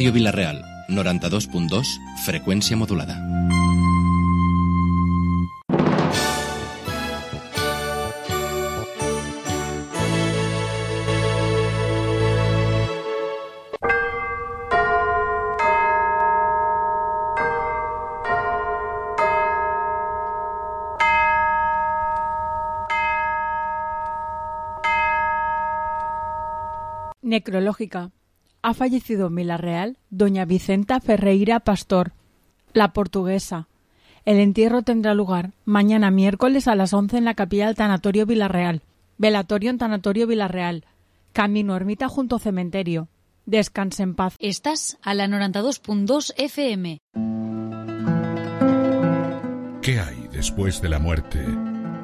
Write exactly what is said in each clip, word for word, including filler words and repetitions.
Ràdio Vila-real, noranta-dos punt dos, freqüència modulada. Necrológica. Ha fallecido en Vila-real doña Vicenta Ferreira Pastor, la portuguesa. El entierro tendrá lugar mañana miércoles a las once en la capilla del Tanatorio Vila-real. Velatorio en Tanatorio Vila-real. Camino ermita junto cementerio. Descanse en paz. Estás a la noranta-dos punt dos F M. ¿Qué hay después de la muerte?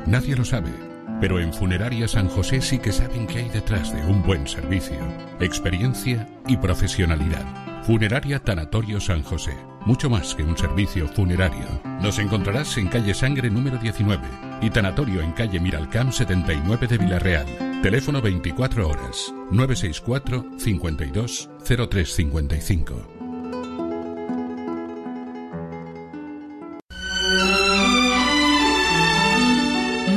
Nadie lo sabe. Pero en Funeraria San José sí que saben qué hay detrás de un buen servicio, experiencia y profesionalidad. Funeraria Tanatorio San José. Mucho más que un servicio funerario. Nos encontrarás en calle Sangre número diecinueve y Tanatorio en calle Miralcamp setenta y nueve de Vila-real. Teléfono veinticuatro horas, nueve seis cuatro, cincuenta y dos, cero tres cincuenta y cinco.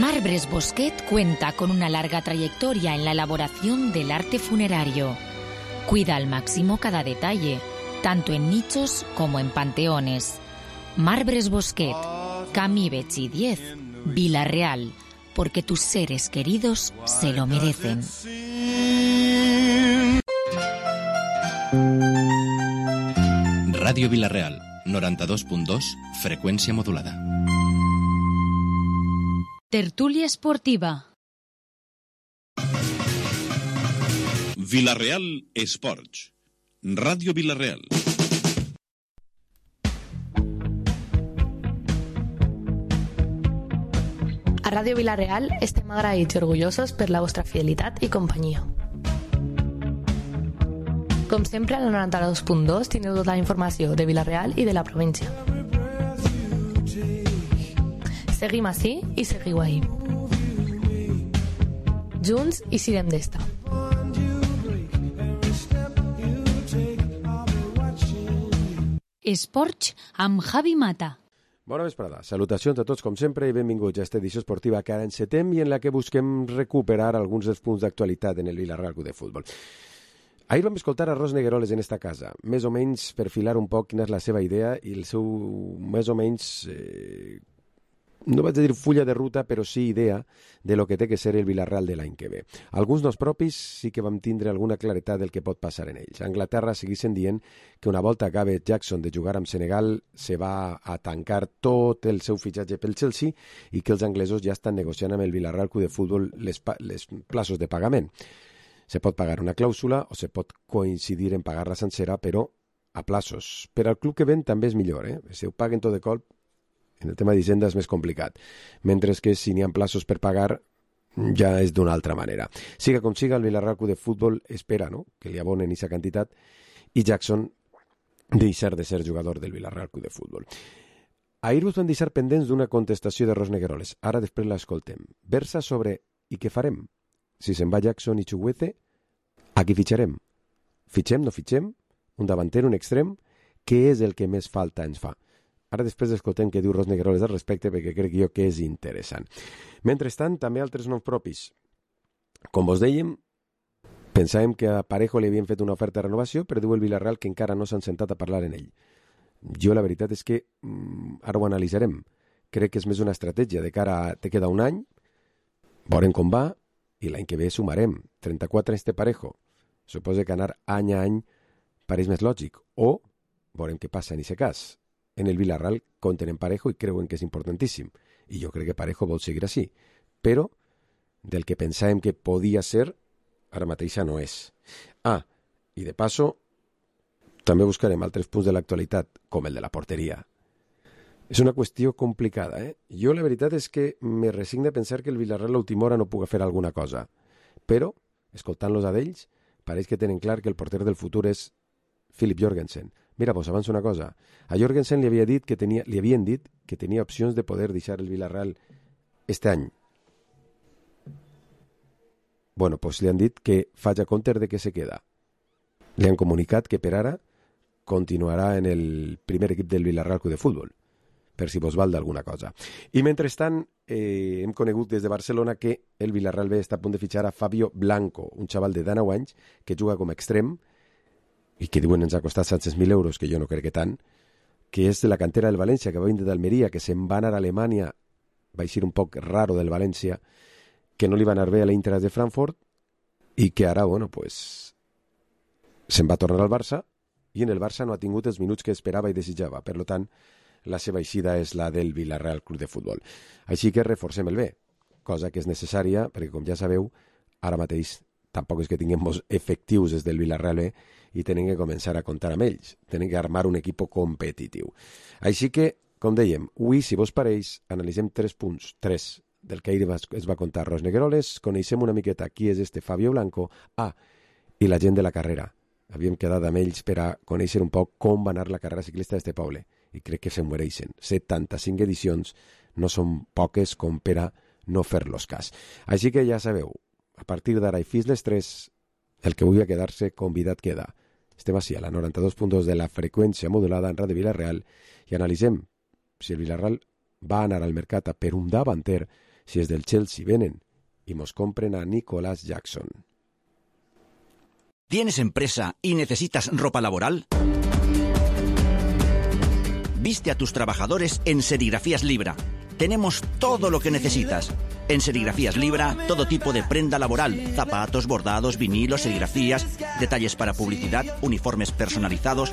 Marbres Bosquet cuenta con una larga trayectoria en la elaboración del arte funerario. Cuida al máximo cada detalle, tanto en nichos como en panteones. Marbres Bosquet, Camí Betxí diez, Vila-real, porque tus seres queridos se lo merecen. Ràdio Vila-real, noranta-dos punt dos, freqüència modulada. Tertúlia esportiva. Vila-real Esports. Ràdio Vila-real. A Ràdio Vila-real estem agraïts i orgullosos per la vostra fidelitat i companyia. Com sempre, a la noranta-dos punt dos teniu tota la informació de Vila-real i de la província. Seguim ací i seguiu ahí. Junts i sirem d'esta. Esports amb Javi Mata. Bona vesprada. Salutacions a tots com sempre i benvinguts a aquesta edició esportiva que ara encetem i en la que busquem recuperar alguns dels punts d'actualitat en el Vila-real Club de Futbol. Ahir vam escoltar a Ros Negueroles en esta casa, més o menys per filar un poc quina és la seva idea i el seu, més o menys, eh, no vaig a dir fulla de ruta, però sí idea de lo que té que ser el Vila-real de l'any que ve. Alguns dels propis sí que vam tindre alguna claretat del que pot passar en ells. A Anglaterra seguissin dient que una volta acabe Jackson de jugar amb Senegal se va a tancar tot el seu fitxatge pel Chelsea i que els anglesos ja estan negociant amb el Vila-real Club de Futbol les, les plaços de pagament. Se pot pagar una clàusula o se pot coincidir en pagar-la sencera, però a plaços. Per al club que ven també és millor, eh? Si ho paguen tot de colp, en el tema d'Hisenda és més complicat, mentre que si n'hi ha plaços per pagar ja és d'una altra manera. Siga com siga, el Vila-real Club de Futbol espera, no?, que li abonen aquesta quantitat i Jackson deixar de ser jugador del Vila-real Club de Futbol. Ahir us van deixar pendents d'una contestació de Ros Negueroles. Ara després l'escoltem. Versa sobre «I què farem? Si se'n va Jackson i Chukwueze, a qui fitxarem? Fitxem, no fitxem? Un davanter, un extrem? Què és el que més falta ens fa?» Ara després escoltem què diu Ros Negueroles al respecte perquè crec jo que és interessant. Mentrestant, també altres noms propis. Com vos dèiem, pensàvem que a Parejo li havien fet una oferta de renovació, però diu el Vila-real que encara no s'han sentat a parlar en ell. Jo la veritat és que mm, ara ho analitzarem. Crec que és més una estratègia de cara a... Te queda un any, veurem com va, i l'any que ve sumarem. trenta-quatre anys de Parejo. Suposa que anar any a any pareix més lògic. O veurem què passa en aquest cas. En el Vila-real compten en Parejo i creuen que és importantíssim. I jo crec que Parejo vol seguir així. Però del que pensàvem que podia ser, ara mateixa no és. Ah, i de passo, també buscarem altres punts de l'actualitat, com el de la porteria. És una qüestió complicada, eh? Jo la veritat és que me resigno a pensar que el Vila-real a l'última hora no puga fer alguna cosa. Però, escoltant-los a d'ells, pareix que tenen clar que el porter del futur és Philip Jorgensen. Mira, vos avanço una cosa. A Jorgensen li, havia dit que tenia, li havien dit que tenia opcions de poder deixar el Vila-real este any. Bueno, pues li han dit que faig a compte de que se queda. Li han comunicat que per ara continuarà en el primer equip del Villarreal Club de Futbol, per si vos val d'alguna cosa. I mentrestant, eh, hem conegut des de Barcelona que el Villarreal B està a punt de fitxar a Fabio Blanco, un xaval de dinou anys que juga com a extrem i que diuen ens ha costat set cents mil euros, que jo no crec que tant, que és de la cantera del València, que va vindre d'Almeria, que se'n va anar a Alemanya, va eixir un poc raro del València, que no li va anar bé a l'Eintracht de Frankfurt i que ara, bueno, pues, se'n va tornar al Barça i en el Barça no ha tingut els minuts que esperava i desitjava. Per tant, la seva eixida és la del Villarreal Club de Futbol. Així que reforcem el B, cosa que és necessària, perquè com ja sabeu, ara mateix tampoc és que tinguem efectius des del Villarreal B i tenen que començar a comptar amb ells. Tenen que armar un equip competitiu. Així que, com dèiem, avui, si vos pareix, analitzem tres punts, tres del que ahir es va contar Ros Negueroles, coneixem una miqueta qui és este Fabio Blanco, ah, i la gent de la carrera. Havíem quedat amb ells per a conèixer un poc com va anar la carrera ciclista d'este poble, i crec que se'n mereixen. setanta-cinc edicions no són poques com per a no fer-los cas. Així que ja sabeu, a partir d'ara i fins les tres, el que vulgui quedar-se, convidat queda. Estem així a la noranta-dos punt dos de la freqüència modulada en Ràdio Villarreal i analitzem si el Villarreal va anar al mercat a per un davanter, si és del Chelsea venen y mos compren a Nicolas Jackson. ¿Tienes empresa y necesitas ropa laboral? Viste a tus trabajadores en Serigrafías Libra. Tenemos todo lo que necesitas. En Serigrafías Libra, todo tipo de prenda laboral, zapatos, bordados, vinilos, serigrafías, detalles para publicidad, uniformes personalizados.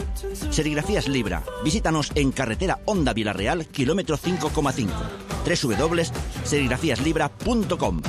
Serigrafías Libra. Visítanos en carretera Honda Villarreal, kilómetro cinco coma cinco. doble u doble u doble u punt serigrafías libra punt com.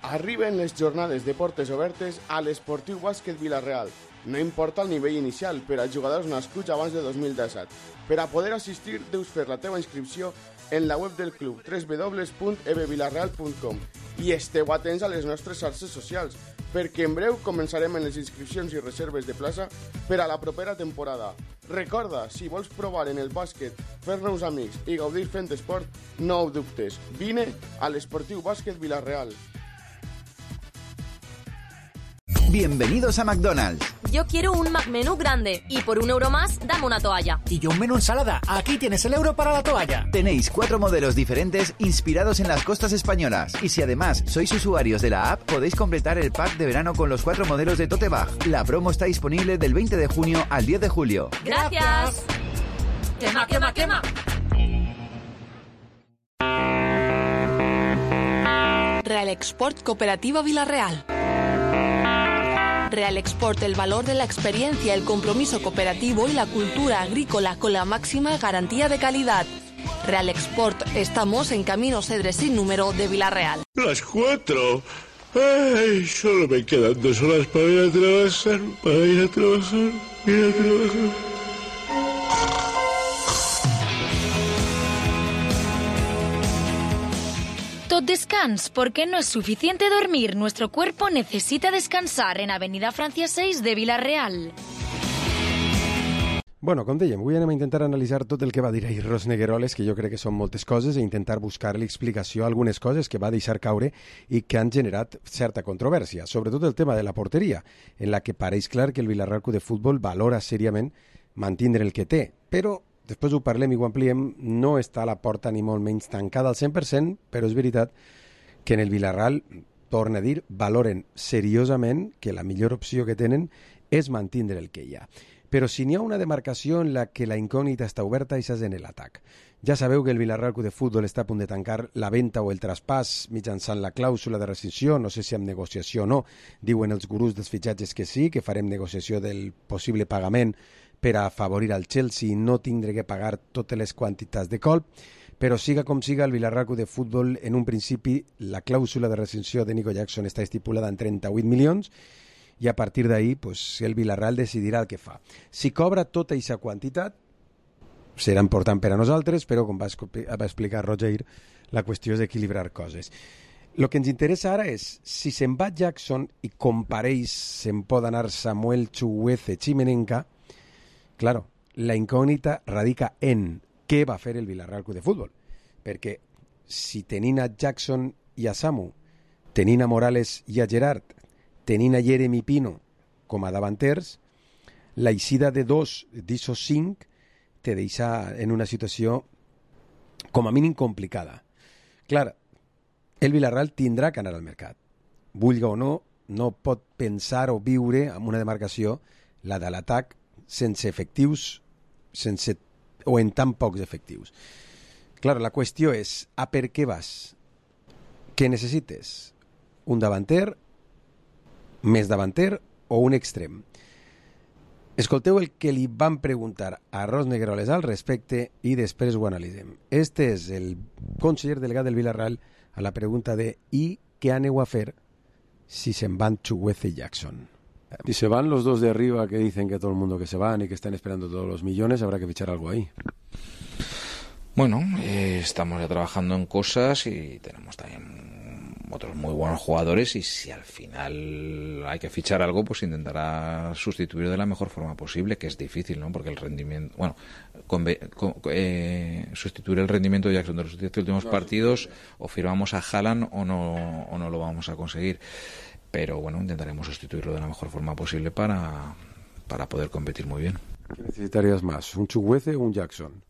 Arriben les jornades de portes obertes a l'Esportiu Bàsquet Villarreal. No importa el nivell inicial per als jugadors nascuts abans de dos mil disset. Per a poder assistir, deus fer la teva inscripció en la web del club, doble u doble u doble u punt e b villarreal punt com, i esteu atents a les nostres xarxes socials, perquè en breu començarem en les inscripcions i reserves de plaça per a la propera temporada. Recorda, si vols provar en el bàsquet, fer-nos amics i gaudir fent esport, no ho dubtes. Vine a l'Esportiu Bàsquet Villarreal. Bienvenidos a McDonald's. Yo quiero un McMenú grande y por un euro más, dame una toalla. Y yo un menú ensalada. Aquí tienes el euro para la toalla. Tenéis cuatro modelos diferentes inspirados en las costas españolas. Y si además sois usuarios de la app, podéis completar el pack de verano con los cuatro modelos de Tote Bag. La promo está disponible del veinte de junio al diez de julio. ¡Gracias! ¡Quema, quema, quema! Real Export Cooperativa Villarreal. Real Export, el valor de la experiencia, el compromiso cooperativo y la cultura agrícola con la máxima garantía de calidad. Real Export, estamos en Camino Cedres sin número de Villarreal. Las cuatro. Ay, solo me quedan dos horas para ir a trabajar, para ir a trabajar, ir a trabajar. Tot descans, porque no es suficiente dormir. Nuestro cuerpo necesita descansar en Avenida Francia seis de Villarreal. Bueno, com dèiem, avui anem a intentar analitzar tot el que va dir ahir Ros Negueroles, que jo crec que són moltes coses, i intentar buscar-li explicació a algunes coses que va deixar caure i que han generat certa controvèrsia, sobretot el tema de la porteria, en la que pareix clar que el Villarreal Club de Futbol valora seriament mantindre el que té, però després ho parlem i ho ampliem, no està la porta ni molt menys tancada al cent per cent, però és veritat que en el Villarreal, torna a dir, valoren seriosament que la millor opció que tenen és mantindre el que hi ha. Però si n'hi ha una demarcació en la que la incògnita està oberta, això és en l'atac. Ja sabeu que el Villarreal Club de Futbol està a punt de tancar la venda o el traspàs mitjançant la clàusula de rescissió, no sé si amb negociació o no, diuen els gurús dels fitxatges que sí, que farem negociació del possible pagament per a afavorir al Chelsea i no tindre que pagar totes les quantitats de colp, però siga com siga, el Villarreal Club de Futbol, en un principi, la clàusula de rescissió de Nico Jackson està estipulada en trenta-vuit milions, i a partir d'ahí pues, el Villarreal decidirà el que fa. Si cobra tota aquesta quantitat, serà important per a nosaltres, però com va, va explicar Roger, la qüestió és equilibrar coses. El que ens interessa ara és, si se'n va Jackson i com pareix se'n pot anar Samuel Chukwueze Chimenenka, claro, la incògnita radica en què va fer el Villarreal Club de Futbol, perquè si tenint a Jackson i a Samu, tenint a Morales i a Gerard, tenint a Jeremy Pino com a davanters, la eixida de dos d'esos cinc te deixa en una situació com a mínim complicada. Clar, el Villarreal tindrà que anar al mercat. Vulga o no, no pot pensar o viure amb una demarcació, la de l'atac, sense efectius, sense, o en tan pocs efectius. Clar, la qüestió és, a per què vas? Què necessites? Un davanter, més davanter o un extrem? Escolteu el que li van preguntar a Ros Negueroles al respecte i després ho analitzem. Este és el conseller delegat del Villarreal a la pregunta de ¿y qué aneu a fer si se van Chukwueze y Jackson? Si se van los dos de arriba que dicen que todo el mundo que se van y que están esperando todos los millones, habrá que fichar algo ahí. Bueno, eh, estamos ya trabajando en cosas y tenemos también otros muy buenos jugadores y si al final hay que fichar algo, pues intentará sustituir de la mejor forma posible, que es difícil, ¿no? Porque el rendimiento, bueno, con, con, eh, sustituir el rendimiento de Jackson de los diez últimos partidos, o firmamos a Haaland o no, o no lo vamos a conseguir. Pero bueno, intentaremos sustituirlo de la mejor forma posible para, para poder competir muy bien. ¿Qué necesitarías más? ¿Un Chukwueze o un Jackson?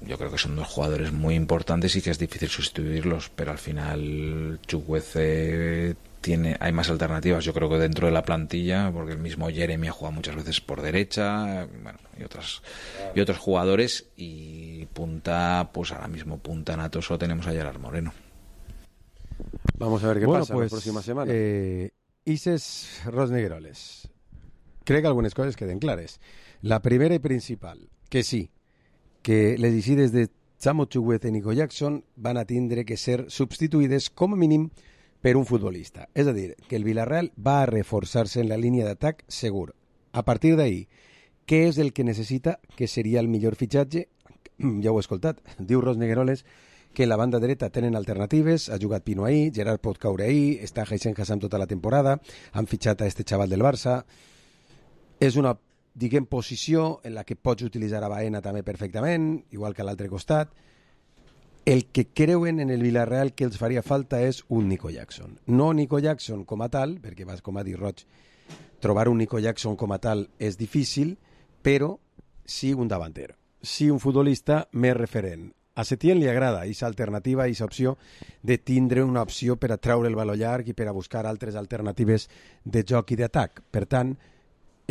Yo creo que son dos jugadores muy importantes y que es difícil sustituirlos, pero al final Chukwueze tiene, hay más alternativas, yo creo que dentro de la plantilla, porque el mismo Jeremy ha jugado muchas veces por derecha, bueno, y otras y otros jugadores, y punta, pues ahora mismo punta nato solo tenemos a Gerard Moreno. Vamos a ver qué bueno, pasa pues, la próxima semana. Eh, Ises Ros Negueroles. Crec que algunes coses queden clares. La primera i principal, que sí, que les eixides de Samu Chukwueze i Nico Jackson van a tindre que ser substituïdes com a mínim per un futbolista. És a dir, que el Villarreal va a reforçar-se en la línia d'atac segur. A partir d'ahí, què és el que necessita, que seria el millor fitxatge? Ja ho he escoltat. Diu Ros Negueroles que en la banda dreta tenen alternatives, ha jugat Pino ahí, Gerard pot caure ahí, està Hysén Hassam tota la temporada, han fitxat a este xaval del Barça. És una, diguem, posició en la que pots utilitzar a Baena també perfectament, igual que a l'altre costat. El que creuen en el Villarreal que els faria falta és un Nico Jackson. No Nico Jackson com a tal, perquè vas, com ha dit Roig, trobar un Nico Jackson com a tal és difícil, però sí un davanter, sí un futbolista més referent. A Setién li agrada aquesta alternativa, aquesta opció de tindre una opció per a treure el valor llarg i per a buscar altres alternatives de joc i d'atac. Per tant,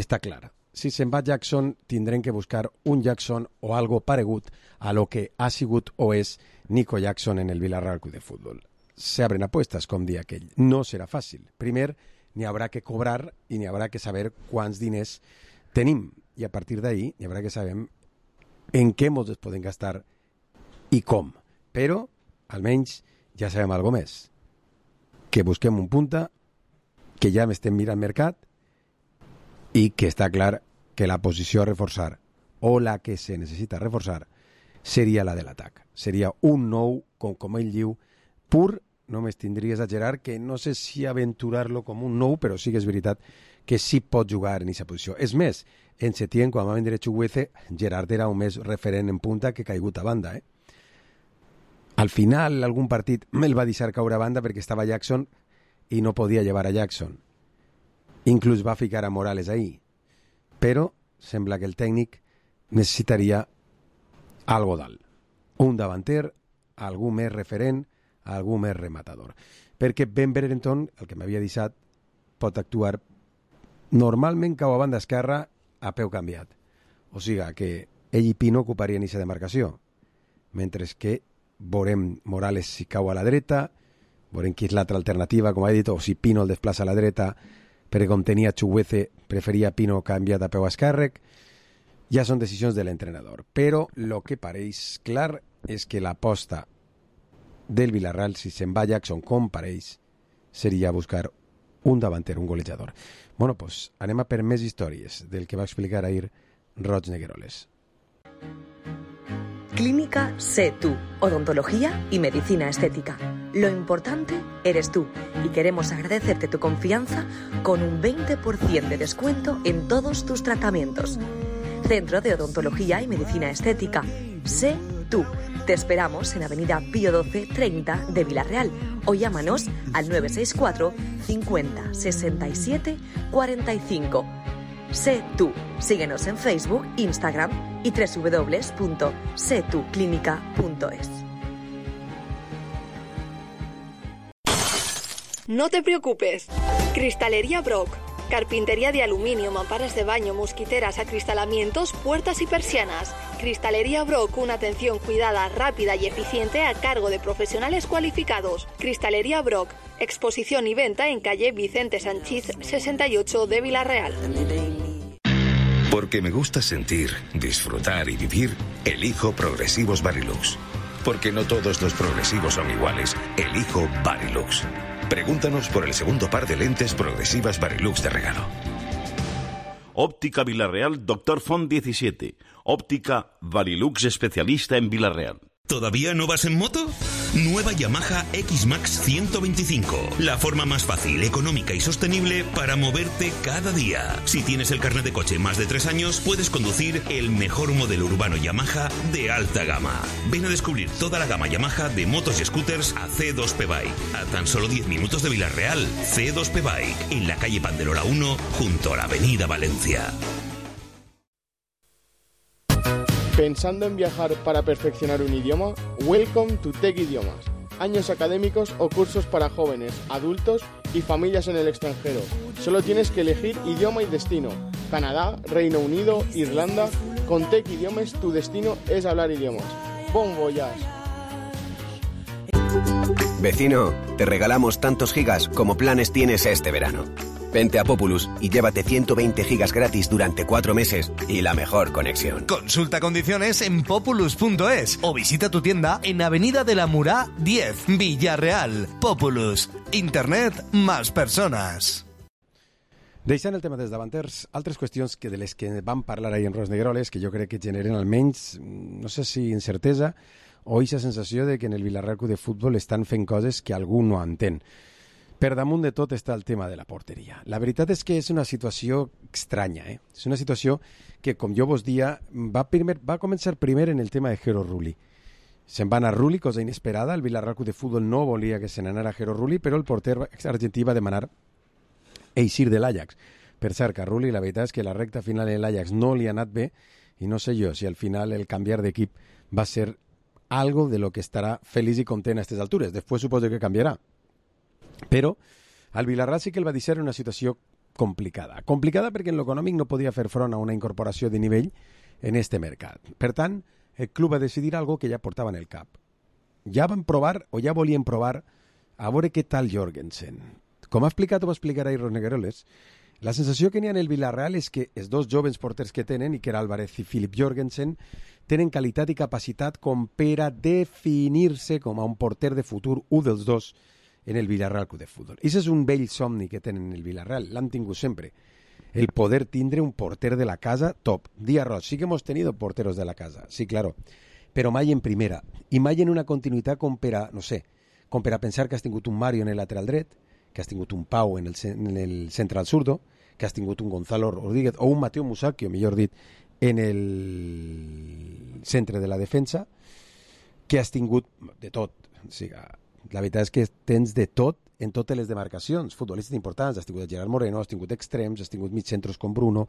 està clar. Si se'n va Jackson, tindrem que buscar un Jackson o algo paregut a lo que ha sigut o és Nico Jackson en el Villarreal Club de Fútbol. Se abren apuestas, com dia aquell. No serà fàcil. Primer, n'hi haurà que cobrar i n'hi haurà que saber quants diners tenim. I a partir d'ahí, n'hi haurà que saber en què ens podem gastar i com. Però, almenys, ja sabem alguna més. Que busquem un punta, que ja m'estem mirant mercat i que està clar que la posició a reforçar o la que se necessita reforçar seria la de l'atac. Seria un nou, com, com ell diu, pur. Només tindria a Gerard, que no sé si aventurar-lo com un nou, però sí que és veritat que sí pot jugar en aquesta posició. És més, en Setién, quan va vendre Chukwueze, Gerard era un més referent en punta que caigut a banda, eh? Al final, algun partit el va deixar caure a banda perquè estava Jackson i no podia llevar a Jackson. Inclús va ficar a Morales ahí. Però sembla que el tècnic necessitaria algo dalt. Un davanter, algú més referent, algú més rematador. Perquè Ben Brereton, el que m'havia deixat, pot actuar normalment cau a banda esquerra a peu canviat. O sigui que ell i Pino ocuparien aquesta demarcació. Mentre que veurem Morales si cau a la dreta, veurem qui és l'altra alternativa, com ha dit, o si Pino el desplaça a la dreta, perquè com tenia Chukwueze, preferia Pino canviat a peu esquerrec. Ja són decisions de l'entrenador. Però el que pareix clar és que l'aposta del Villarreal, si se'n va Jackson com pareix, seria buscar un davanter, un golejador. Bueno, pues anem a per més històries del que va explicar ahir Roig Negueroles. Clínica Sé Tú, odontología y medicina estética. Lo importante eres tú y queremos agradecerte tu confianza con un veinte por ciento de descuento en todos tus tratamientos. Centro de Odontología y Medicina Estética. Sé Tú. Te esperamos en Avenida Pío doce treinta de Villarreal o llámanos al nueve seis cuatro cincuenta sesenta y siete cuarenta y cinco. Sé tú. Síguenos en Facebook, Instagram y doble u doble u doble u punto sé tu clínica punto es. No te preocupes. Cristalería Brock. Carpintería de aluminio, mamparas de baño, mosquiteras, acristalamientos, puertas y persianas. Cristalería Brock, una atención cuidada, rápida y eficiente a cargo de profesionales cualificados. Cristalería Brock, exposición y venta en calle Vicente Sanchís sesenta y ocho de Vila-real. Porque me gusta sentir, disfrutar y vivir, elijo Progresivos Varilux. Porque no todos los progresivos son iguales, elijo Varilux. Pregúntanos por el segundo par de lentes progresivas Varilux de regalo. Óptica Vila-real Doctor Font diecisiete. Óptica Varilux especialista en Vila-real. ¿Todavía no vas en moto? Nueva Yamaha X-Max ciento veinticinco. La forma más fácil, económica y sostenible para moverte cada día. Si tienes el carnet de coche más de tres años, puedes conducir el mejor modelo urbano Yamaha de alta gama. Ven a descubrir toda la gama Yamaha de motos y scooters a C dos P Bike. A tan solo diez minutos de Vila-real. C dos P Bike, en la calle Panderola uno, junto a la avenida Valencia. ¿Pensando en viajar para perfeccionar un idioma? Welcome to Tech Idiomas. Años académicos o cursos para jóvenes, adultos y familias en el extranjero. Solo tienes que elegir idioma y destino. Canadá, Reino Unido, Irlanda. Con Tech Idiomas tu destino es hablar idiomas. Bon voyage. Vecino, te regalamos tantos gigas como planes tienes este verano. Vente a Populus y llévate ciento veinte gigas gratis durante cuatro meses y la mejor conexión. Consulta condiciones en populus punto es o visita tu tienda en Avenida de la Murá diez, Villarreal. Populus. Internet más persones. Deixant el tema dels davanters, altres qüestions que de les que vam parlar ahir en Ros Negroles, que jo crec que generen almenys, no sé si incertesa o aquesta sensació de que en el Vila-real Club de Futbol estan fent coses que algú no entén. Per damunt de tot està el tema de la porteria. La veritat és que és una situació estranya, eh? És una situació que, com jo vos dia, va, primer, va començar primer en el tema de Jero Rulli. Se'n va anar Rulli, cosa inesperada. El Vila-real Club de Futbol no volia que se n'anara Jero Rulli, però el porter argentí va demanar eixir de l'Ajax. Per cert, que a Rulli la veritat és que la recta final en l'Ajax no li ha anat bé i no sé jo si al final el canviar d'equip va ser algo de lo que estarà feliç i content a aquestes altures. Després suposo que canviarà. Però al Vila-real sí que el va deixar en una situació complicada. Complicada perquè en l'econòmic no podia fer front a una incorporació de nivell en este mercat. Per tant, el club va decidir algo que ja portava en el cap. Ja van provar, o ja volien provar, a veure què tal Jorgensen. Com ha explicat o va explicar ahir Ros Negroles, la sensació que n'hi ha en el Vila-real és que els dos jovens porters que tenen, Iker Álvarez i Philip Jorgensen, tenen qualitat i capacitat com per a definir-se com a un porter de futur, un dels dos, en el Vila-real Club de Futbol. Ese és un vell somni que tenen en el Vila-real, l'han tingut sempre. El poder tindre un porter de la casa top. Dia Roig, sí que hemos tenido porteros de la casa, sí, claro, però mai en primera, i mai en una continuïtat com per a, no sé, com per a pensar que has tingut un Mario en el lateral dret, que has tingut un Pau en el, en el central zurdo, que has tingut un Gonzalo Rodríguez o un Mateo Musacchio, millor dit, en el centre de la defensa, que has tingut de tot, o sigui, la veritat és que tens de tot en totes les demarcacions futbolistes importants. Has tingut Gerard Moreno, has tingut extrems, has tingut mitjacentros com Bruno,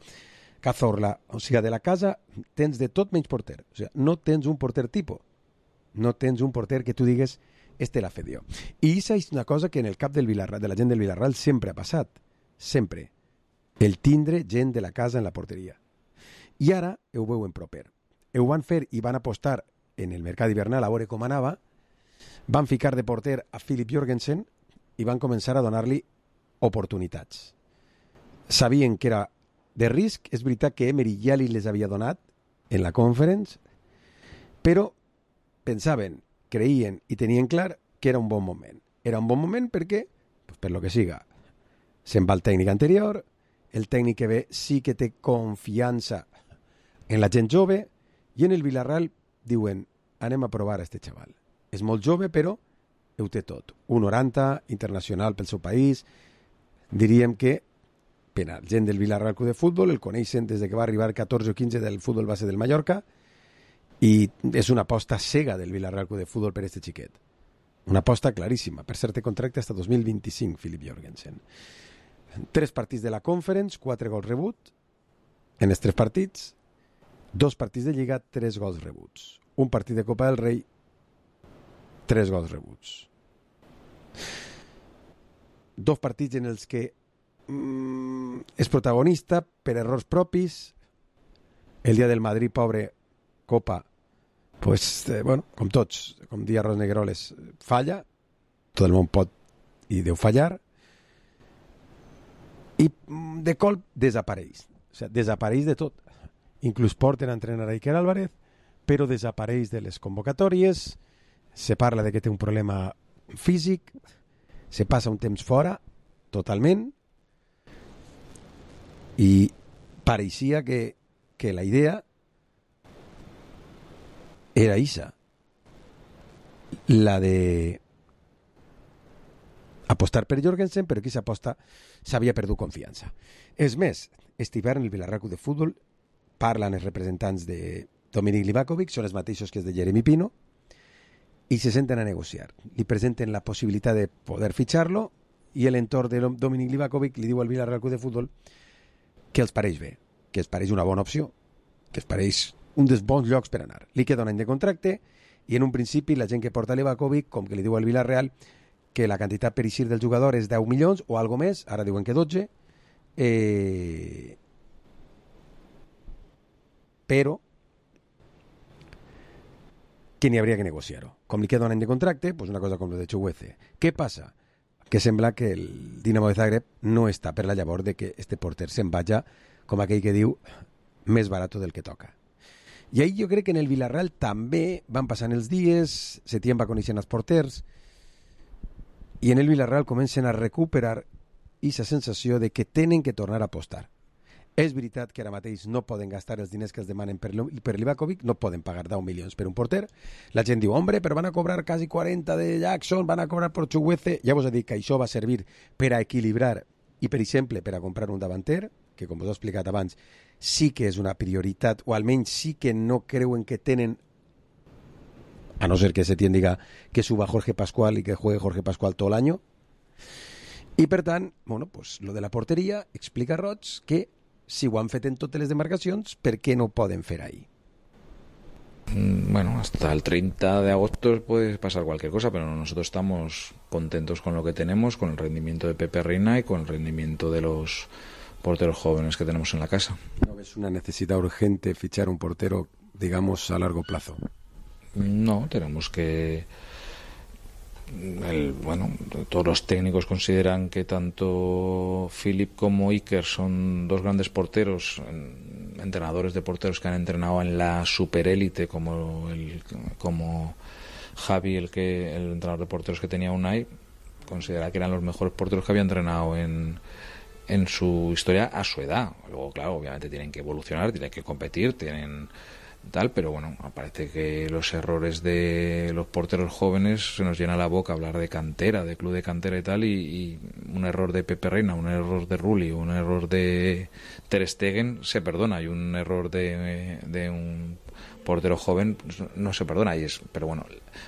Cazorla. O sigui, de la casa tens de tot menys porter. O sigui, no tens un porter tipus. No tens un porter que tu digues este l'ha fet jo. I això és una cosa que en el cap del Vila-real, de la gent del Vila-real sempre ha passat. Sempre. El tindre gent de la casa en la porteria. I ara ho veuen proper. Ho van fer i van apostar en el mercat hivernal a veure com anava. Van ficar de porter a Philip Jorgensen i van començar a donar-li oportunitats. Sabien que era de risc, és veritat que Emery ja li les havia donat en la conference, però pensaven, creien i tenien clar que era un bon moment. Era un bon moment perquè, pues per lo que siga, se'n va el tècnic anterior, el tècnic que ve sí que té confiança en la gent jove i en el Vila-real diuen, anem a provar a este xaval. És molt jove, però ho té tot. un noranta, internacional pel seu país. Diríem que per a gent del Vila-real Club de Futbol el coneixen des de que va arribar catorze o quinze del futbol base del Mallorca i és una aposta cega del Vila-real Club de Futbol per este xiquet. Una aposta claríssima. Per cert, té contracte fins dos mil vint-i-cinc, Philip Jorgensen. Tres partits de la Conference, quatre gols rebut, en els tres partits, dos partits de Lliga, tres gols rebuts. Un partit de Copa del Rei, tres gols rebuts. Dos partits en els que mm, és protagonista per errors propis. El dia del Madrid, pobre, Copa, pues, eh, bueno, com tots, com dia Ros Negueroles, falla, tot el món pot i deu fallar, i de colp desapareix. O sigui, desapareix de tot. Inclús porten a entrenar a Iker Álvarez, però desapareix de les convocatòries, se parla de que té un problema físic, se passa un temps fora, totalment, i pareixia que, que la idea era isa, la de apostar per Jorgensen, però qui s'aposta s'havia perdut confiança. És més, aquest hivern el Villarreal Club de Futbol parlen els representants de Dominic Livakovic, són els mateixos que els de Jeremy Pino, i se senten a negociar. Li presenten la possibilitat de poder fitxar-lo i l'entorn de Dominic Livakovic li diu al Villarreal Club de Futbol que els pareix bé, que els pareix una bona opció, que els pareix un dels bons llocs per anar. Li queda un any de contracte i en un principi la gent que porta Livakovic, com que li diu al Villarreal que la quantitat per eixir del jugador és deu milions o algo més, ara diuen que dotze, eh... però que n'hi hauria que negociar-ho. Com li queda un any de contracte, pues una cosa com el de Chukwueze. Què passa? Que sembla que el Dinamo de Zagreb no està per la llavor de que este porter se'n vaja, com aquell que diu, més barat del que toca. I ahí jo crec que en el Villarreal també van passant els dies, Setién va coneixent els porters, i en el Villarreal comencen a recuperar aquesta sensació de que tenen que tornar a apostar. És veritat que ara mateix no poden gastar els diners que els demanen per, per Livakovic, no poden pagar deu milions per un porter. La gent diu, hombre, però van a cobrar quasi quaranta de Jackson, van a cobrar per Chukwueze. Ja vos he dit que això va servir per a equilibrar i, per exemple, per a comprar un davanter, que, com vos he explicat abans, sí que és una prioritat, o almenys sí que no creuen que tenen, a no ser que Setién diga que suba Jorge Pascual y que juegue Jorge Pascual todo el año. I, per tant, bueno, pues, lo de la porteria explica Roig que si ho han fet en totes les demarcacions, ¿per qué no pueden fer ahí? Bueno, hasta el treinta de agosto puede pasar cualquier cosa, pero nosotros estamos contentos con lo que tenemos, con el rendimiento de Pepe Reina y con el rendimiento de los porteros jóvenes que tenemos en la casa. ¿No ves una necesidad urgente fichar un portero, digamos, a largo plazo? No, tenemos que... El, bueno, todos los técnicos consideran que tanto Philip como Iker son dos grandes porteros, entrenadores de porteros que han entrenado en la superélite, como el, como Javi, el que el entrenador de porteros que tenía Unai, considera que eran los mejores porteros que había entrenado en, en su historia a su edad. Luego, claro, obviamente tienen que evolucionar, tienen que competir, tienen tal, pero bueno, parece que los errores de los porteros jóvenes se nos llena la boca hablar de cantera, de club de cantera y tal, y, y un error de Pepe Reina, un error de Rulli, un error de Ter Stegen se perdona, y un error de, de un portero joven no se perdona, y es, pero bueno,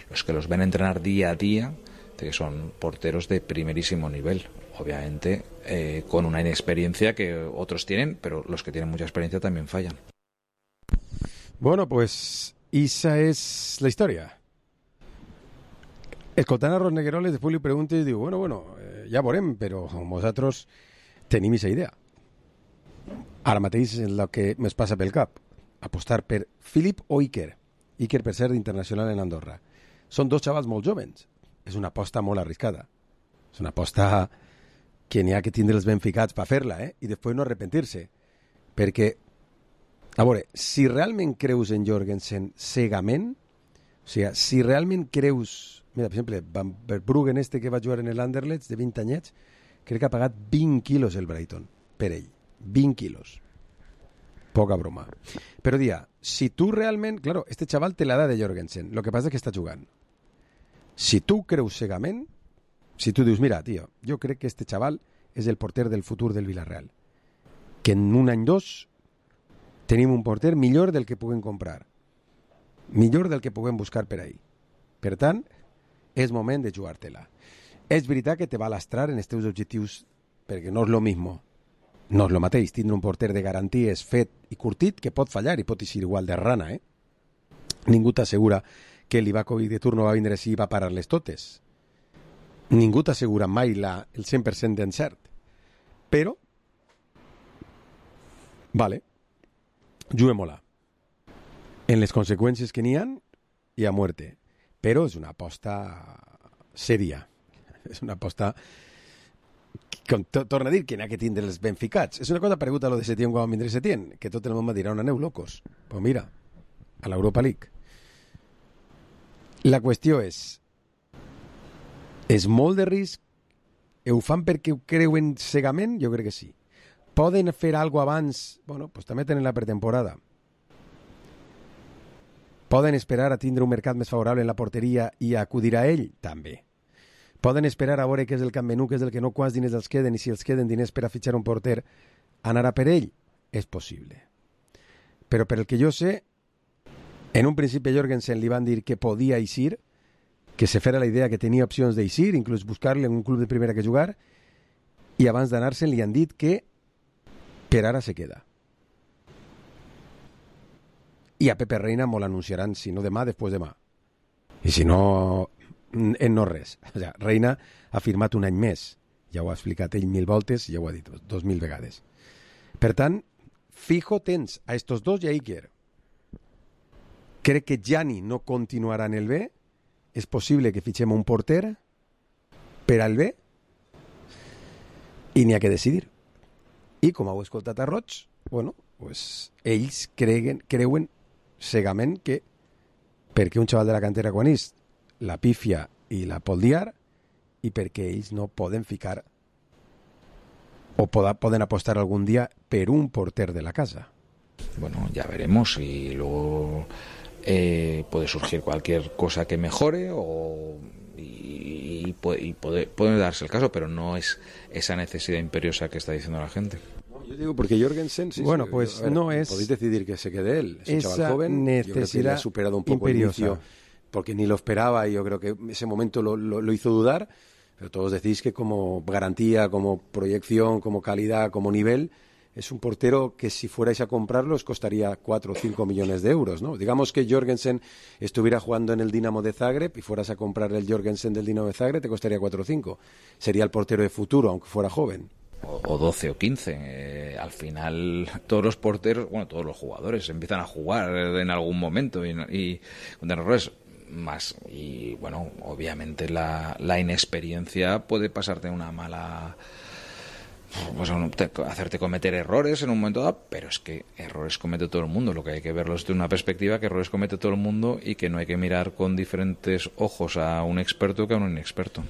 los que los ven entrenar día a día, que son porteros de primerísimo nivel, obviamente eh, con una inexperiencia que otros tienen, pero los que tienen mucha experiencia también fallan. Bueno, pues esa és la història. Escoltant a Ros Negueroles, després li pregunto i diu, bueno, bueno, eh, ja veurem, però nosaltres tenim aquesta idea. Ara mateix és el que més passa pel cap. Apostar per Philip o Iker. Iker, per ser internacional en Andorra. Són dos xavals molt jovens. És una aposta molt arriscada. És una aposta que n'hi ha que tindre'ls ben ficats per fer-la, eh? I després no arrepentir-se. Perquè a veure, si realment creus en Jorgensen cegament, o sigui, si realment creus... Mira, per exemple, Van Verbruggen este que va jugar en l'Anderlecht de vint anyets, crec que ha pagat vint quilos el Brighton per ell. vint quilos. Poca broma. Però dia, si tu realment... Claro, este xaval té l'edat de Jorgensen, lo que passa és que està jugant. Si tu creus cegament, si tu dius, mira, tio, jo crec que este xaval és el porter del futur del Villarreal, que en un any dos tenim un porter millor del que puguem comprar, millor del que puguem buscar per ahí. Per tant, és moment de jugar-te-la. És veritat que te va lastrar en els teus objectius, perquè no és lo mismo no és el mateix tindre un porter de garanties fet i curtit que pot fallar i pot eixir igual de rana, eh? Ningú t'assegura que l'Ivakovic de turno va vindre si va parar-les totes. Ningú t'assegura mai la, el cent per cent d'encert. Però, vale, juguem-la. En les conseqüències que n'hi ha, hi ha muerte. Però és una aposta sèria. És una aposta... Com to, torna a dir que n'hi ha que tindre els ben ficats. És una cosa pareguda a lo de Setién quan va vindre Setién, que tot el món va dir, on aneu, locos? Pues mira, a l'Europa League. La qüestió és, és molt de risc? Ho fan perquè ho creuen cegament? Jo crec que sí. Poden fer alguna cosa abans? Bueno, pues també tenen la pretemporada. Poden esperar a tindre un mercat més favorable en la porteria i acudir a ell? També. Poden esperar a veure què és el Camp Nou, què és el que no, quants diners els queden, i si els queden diners per a fitxar un porter, anar a per ell? És possible. Però per el que jo sé, en un principi a Jorgensen li van dir que podia eixir, que se fera la idea que tenia opcions d'eixir, inclús buscar-li en un club de primera que jugar, i abans d'anar-se'n li han dit que per ara se queda. I a Pepe Reina molt l'anunciaran, si no demà, després demà. I si no, en no res. O sigui, Reina ha firmat un any més. Ja ho ha explicat ell mil voltes, ja ho ha dit dos mil vegades. Per tant, fijo tens a estos dos i a Iker. Crec que Gianni no continuarà en el B. És possible que fitxem un porter per al B i n'hi ha que decidir. I com heu escoltat a Roig, bueno, pues, ells creguen, creuen cegament que perquè un xaval de la cantera quan és la pífia i la poldiar i perquè ells no poden ficar o poda, poden apostar algun dia per un porter de la casa. Bueno, ya veremos y luego eh, puede surgir cualquier cosa que mejore o y, y, puede, y puede, puede darse el caso, pero no es esa necesidad imperiosa que está diciendo la gente. No, yo digo porque Jorgensen sí, bueno, sí, pues a ver, no es podéis decidir que se quede él, es un esa chaval joven, yo creo que le ha necesidad superado un poco imperiosa. el inicio porque ni lo esperaba y yo creo que ese momento lo, lo, lo hizo dudar, pero todos decís que como garantía, como proyección, como calidad, como nivel, es un portero que si fuerais a comprarlo os costaría cuatro o cinco millones de euros, ¿no? Digamos que Jorgensen estuviera jugando en el Dinamo de Zagreb y fueras a comprar el Jorgensen del Dinamo de Zagreb, te costaría cuatro o cinco. Sería el portero de futuro, aunque fuera joven. O, o doce o quince. Eh, al final, todos los porteros, bueno, todos los jugadores empiezan a jugar en algún momento y, y con errores más. Y bueno, obviamente la, la inexperiencia puede pasarte una mala... Pues, hacerte cometer errores en un momento dado, pero es que errores comete todo el mundo. Lo que hay que verlo es de una perspectiva que errores comete todo el mundo y que no hay que mirar con diferentes ojos a un experto que a un inexperto.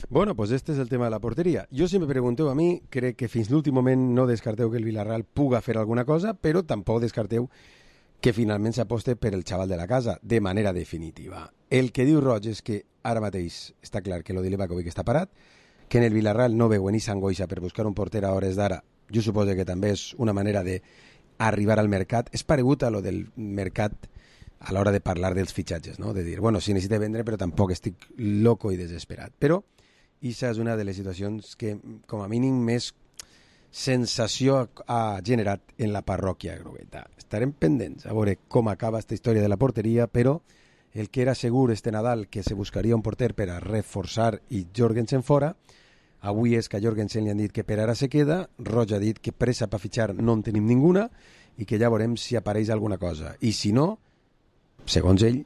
Bueno, pues este és el tema de la porteria. Jo, si me pregunteu a mi, crec que fins l'últim moment no descarteu que el Villarreal puga fer alguna cosa, però tampoc descarteu que finalment s'aposte per el xaval de la casa, de manera definitiva. El que diu Roig és que ara mateix està clar que lo de Livakovic està parat, que en el Villarreal no veuen i s'angoixa per buscar un porter a hores d'ara. Jo suposo que també és una manera d'arribar al mercat. És paregut a lo del mercat a l'hora de parlar dels fitxatges, no? De dir, bueno, sí necessito vendre, però tampoc estic loco i desesperat. Però aquesta és una de les situacions que, com a mínim, més sensació ha generat en la parròquia grogueta. Estarem pendents a veure com acaba aquesta història de la porteria, però el que era segur este Nadal que se buscaria un porter per a reforçar i Jorgensen fora, avui és que a Jorgensen li han dit que per ara se queda, Roig ha dit que pressa per fitxar no en tenim ninguna i que ja veurem si apareix alguna cosa. I si no, segons ell,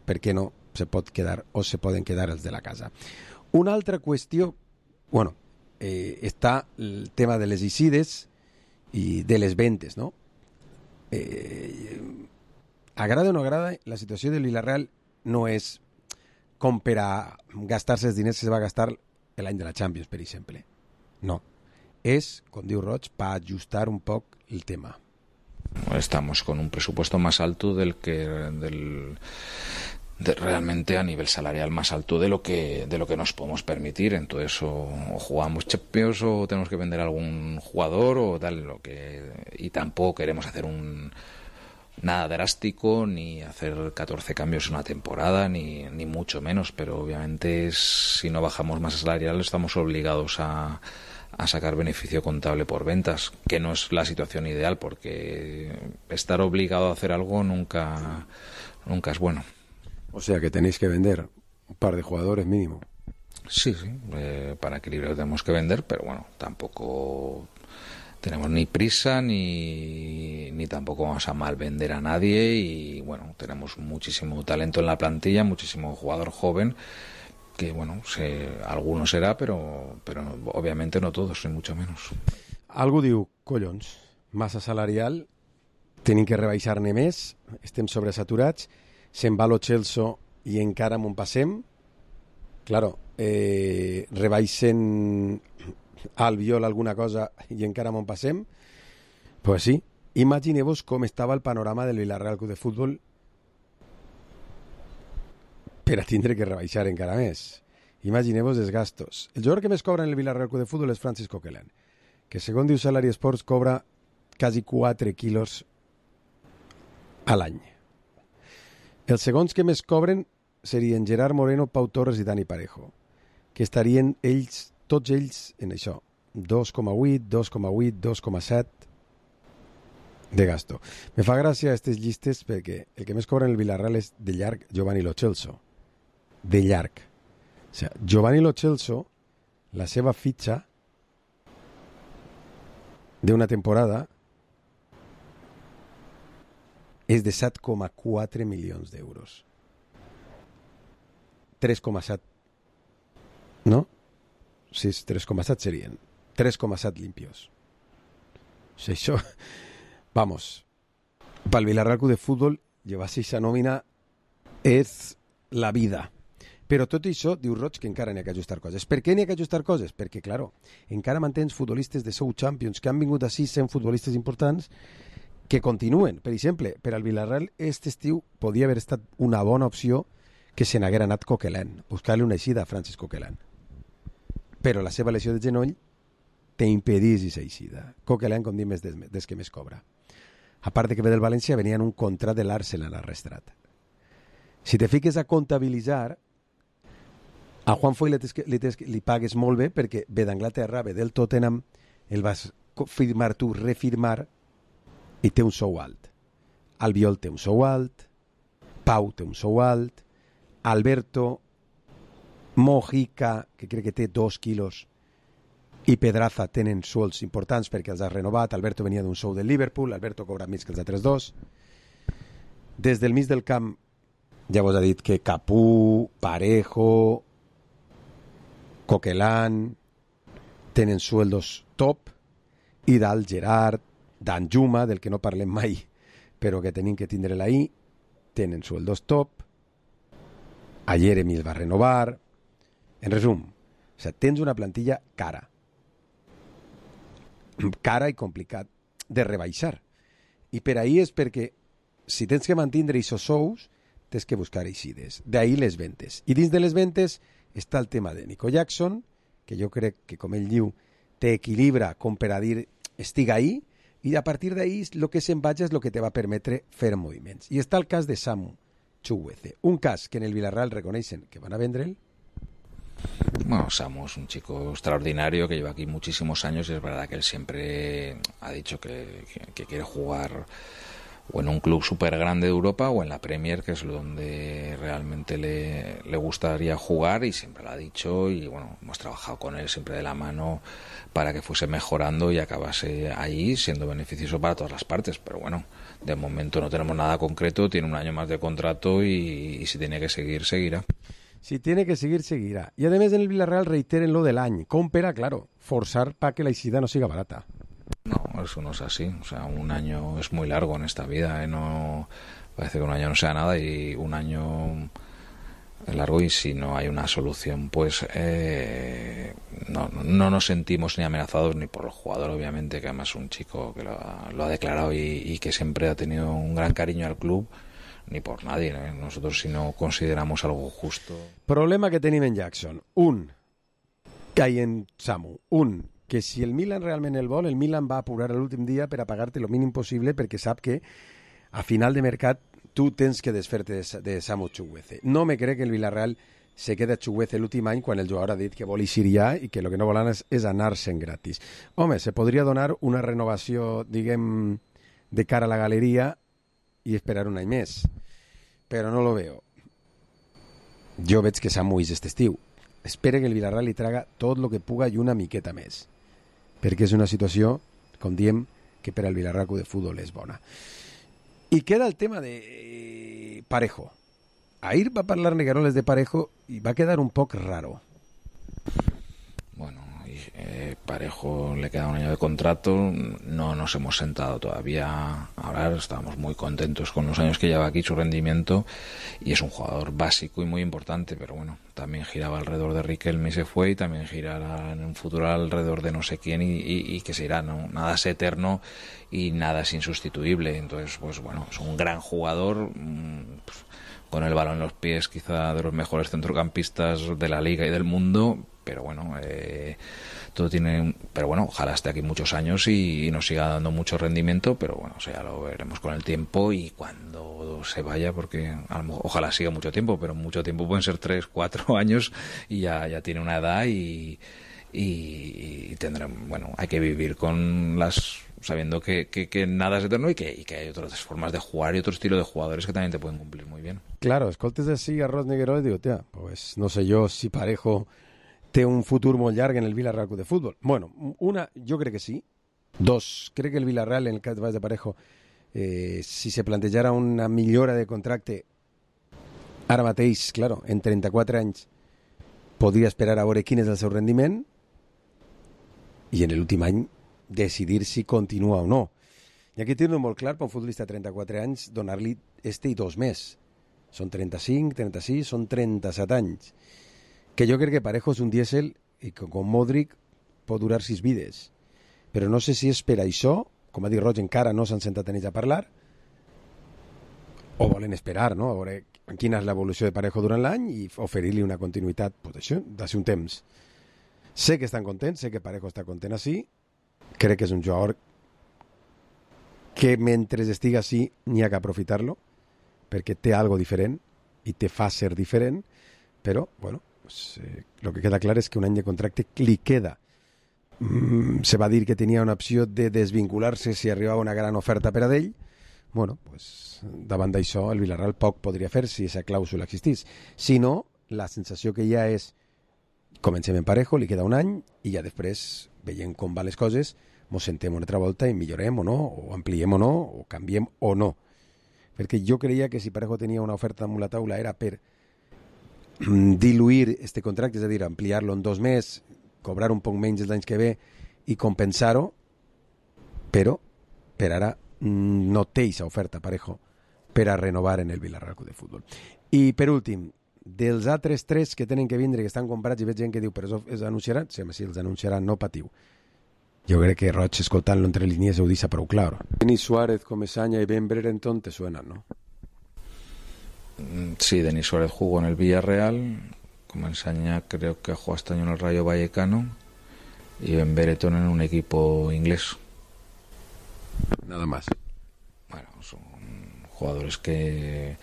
per què no se pot quedar o se poden quedar els de la casa. Una altra qüestió, bueno, eh, està el tema de les eixides i de les ventes, no? Eh, agrada o no agrada, la situació del Villarreal no és com per a gastar-se els diners que se va gastar l'any de la Champions, per exemple. No. És, com diu Roig, per ajustar un poc el tema. Estamos con un presupuesto más alto del que del de, realmente a nivel salarial más alto de lo que de lo que nos podemos permitir. Entonces o, o jugamos Champions o tenemos que vender a algún jugador o tal, lo que y tampoco queremos hacer un nada drástico ni hacer catorce cambios en una temporada ni, ni mucho menos, pero obviamente es, si no bajamos masa salarial estamos obligados a a sacar beneficio contable por ventas, que no es la situación ideal, porque estar obligado a hacer algo nunca, nunca es bueno. O sea que tenéis que vender un par de jugadores mínimo. Sí, sí, eh, para equilibrio tenemos que vender, pero bueno, tampoco tenemos ni prisa ni, ni tampoco vamos a mal vender a nadie, y bueno, tenemos muchísimo talento en la plantilla, muchísimo jugador joven, que bueno, se, algunos será, pero, pero obviamente no todos, ni mucho menos. Algú diu, collons, massa salarial, tenim que rebaixar-ne més, estem sobresaturats, se'n va lo Chelsea i encara m'ho passem. Claro, eh, rebaixen Albiol alguna cosa i encara m'ho passem. Pues sí, imagineu-vos com estava el panorama del Villarreal Club de Futbol per a tindre que rebaixar encara més. Imagineu-vos els gastos. El jugador que més cobra en el Villarreal Club de Futbol és Francis Coquelin, que segons diu Salary Sports cobra quasi quatre quilos a l'any. Els segons que més cobren serien Gerard Moreno, Pau Torres i Dani Parejo, que estarien ells, tots ells en això, dos coma vuit, dos coma vuit, dos coma set de gasto. Me fa gràcia aquestes llistes perquè el que més cobra en el Villarreal és de llarg Giovanni Lo Celso. De llarg. O sigui, Giovanni Lo Celso, la seva fitxa d'una temporada és de set coma quatre milions d'euros. tres coma set. ¿No? Sí, tres coma set serien. tres coma set limpios. O sigui, això... Vamos. Pel Villarreal Club de Futbol, llevar-se aquesta nòmina és la vida. Però tot això, diu Roig, que encara n'hi ha que ajustar coses. Per què n'hi ha que ajustar coses? Perquè, claro, encara mantens futbolistes de Sou Champions que han vingut així sent futbolistes importants que continuen. Per exemple, per al Villarreal, aquest estiu podia haver estat una bona opció que se n'haguera anat Coquelin, buscar-li una eixida a Francis Coquelin. Però la seva lesió de genoll t'impedís aquesta eixida. Coquelin, com dic, és des, des que més cobra. A part de que ve del València, venia en un contracte de l'Arsenal arrestrat. Si te fiques a comptabilitzar, a Juan Foy li, li, li pagues molt bé perquè ve d'Anglaterra, ve del Tottenham, el vas firmar tu, refirmar, i té un sou alt. Albiol té un sou alt, Pau té un sou alt, Alberto, Mojica, que crec que té dos quilos, i Pedraza tenen suelds importants perquè els ha renovat. Alberto venia d'un sou del Liverpool, Alberto cobra més que els altres dos. Des del mig del camp ja vos ha dit que Capú, Parejo, Coquelin tenen sueldos top, i dalt Gerard, Danjuma, del que no parlem mai, però que tenim que tindre-la ahí, tenen sueldos top. A Jeremy el va renovar. En resum, o sea, tens una plantilla cara. Cara i complicat de rebaixar. I per ahí és perquè si tens que mantindre aquests sous, tens que buscar eixides. D'ahí les ventes. I dins de les ventes està el tema de Nico Jackson, que jo crec que, com ell diu, t'equilibra com per a dir estic ahí, i a partir d'ahí el que se'n vaja és el que te va permetre fer moviments. I està el cas de Samu Chukwueze, un cas que en el Villarreal reconeixen que van a vendre'l. Bueno, Samu es un chico extraordinario que lleva aquí muchísimos años y es verdad que él siempre ha dicho que, que, que quiere jugar o en un club súper grande de Europa o en la Premier, que es donde realmente le, le gustaría jugar, y siempre lo ha dicho, y bueno, hemos trabajado con él siempre de la mano para que fuese mejorando y acabase ahí siendo beneficioso para todas las partes. Pero bueno, de momento no tenemos nada concreto, tiene un año más de contrato y, y si tiene que seguir, seguirá. Si tiene que seguir, seguirá. Y además en el Villarreal reiteren lo del año. Com per a, claro, forzar para que la eixida no siga barata. No, eso no es así. O sea, un año es muy largo en esta vida, ¿eh? No, parece que un año no sea nada, y un año es largo, y si no hay una solución, pues eh, no, no nos sentimos ni amenazados ni por el jugador, obviamente, que además es un chico que lo ha, lo ha declarado y, y que siempre ha tenido un gran cariño al club, ni por nadie, ¿eh? Nosotros, si no consideramos algo justo... Problema que tenim en Jackson. Un, que hay en Samu. Un, que si el Milan realment el vol, el Milan va apurar l'últim dia per a pagar-te el mínim possible, perquè sap que a final de mercat tu tens que desfer-te de, de Samu Chukwueze. No me crec que el Villarreal se queda xuguece l'últim any quan el jugador ha dit que vol eixir ja i que el que no volen és, és anar-se'n gratis. Home, se podria donar una renovació, diguem, de cara a la galeria i esperar un any més, però no lo veo. Jo veig que Samu és este estiu. Espere que el Villarreal li traga tot el que puga i una miqueta més, perquè és una situació, com diem, que per al Villarreal de Futbol és bona. I queda el tema de Parejo. Ahir va parlar Negueroles de Parejo y va a quedar un poco raro. Bueno, eh, Parejo le queda un año de contrato, no nos hemos sentado todavía a hablar, estamos muy contentos con los años que lleva aquí, su rendimiento, y es un jugador básico y muy importante, pero bueno, también giraba alrededor de Riquelme y se fue, y también girará en un futuro alrededor de no sé quién y, y, y que se irá, ¿no? Nada es eterno y nada es insustituible, entonces pues bueno, es un gran jugador, pues, con el balón en los pies, quizá de los mejores centrocampistas de la liga y del mundo, pero bueno, eh, todo tiene, pero bueno, ojalá esté aquí muchos años y, y nos siga dando mucho rendimiento, pero bueno, o sea, ya lo veremos con el tiempo y cuando se vaya, porque a lo, ojalá siga mucho tiempo, pero mucho tiempo pueden ser tres, cuatro años y ya, ya tiene una edad y, y, y tendrán, bueno, hay que vivir con las, sabiendo que, que, que nada es eterno y que, y que hay otras formas de jugar y otro estilo de jugadores que también te pueden cumplir muy bien. Claro, escoltes així a Ros Negueroles i digo, tia, pues no sé jo si Parejo té un futur molt llarg en el Villarreal de Futbol. Bueno, una, jo crec que sí. Dos, crec que el Villarreal, en el cas de Parejo, eh, si se plantejara una millora de contracte ara mateix, claro, en trenta-quatre anys, podria esperar a veure quin és el seu rendiment i en l'últim any decidir si continua o no. I aquí tenen molt clar per un futbolista de trenta-quatre anys donar-li este i dos més. Són trenta-cinc, trenta-sis, són trenta-set anys. Que jo crec que Parejo és un dièsel i que com Modric pot durar sis vides. Però no sé si és per això, com ha dit Roig, encara no s'han sentat a ells a parlar, o volen esperar, no?, a veure quina és l'evolució de Parejo durant l'any i oferir-li una continuïtat, pues això, d'ací un temps. Sé que estan contents, sé que Parejo està content així, crec que és un jugador que mentre estiga així n'hi ha que aprofitar-lo, perquè té algo diferent i te fa ser diferent, però, bueno, pues, eh, lo que queda clar és que un any de contracte li queda. Mm, se va dir que tenia una opció de desvincular-se si arribava una gran oferta per a d'ell. Bueno, pues, davant d'això el Villarreal poc podria fer si aquesta clàusula existís. Si no, la sensació que hi ha és comencem en Parejo, li queda un any i ja després, veient com van les coses, mos sentem una altra volta i millorem o no, o ampliem o no, o canviem o no. Perquè jo creia que si Parejo tenia una oferta damunt la taula era per diluir este contracte, és a dir, ampliar-lo en dos més, cobrar un poc menys els anys que ve i compensar-ho, però per ara no té aquesta oferta Parejo per a renovar en el Villarreal de Futbol. I per últim, dels altres tres que tenen que vindre, que estan comprats, i veig gent que diu, però els anunciaran? Sí, si els anunciaran, no patiu. Jo crec que Roig, escoltant-lo entre línies, ho deixa prou clar. Denis Suárez, Comesaña y Ben Brereton te suenan, ¿no? Sí, Denis Suárez jugó en el Villarreal, Comesaña creo que jugó este año en el Rayo Vallecano y Ben Brereton en un equipo inglés. Nada más. Bueno, son jugadores que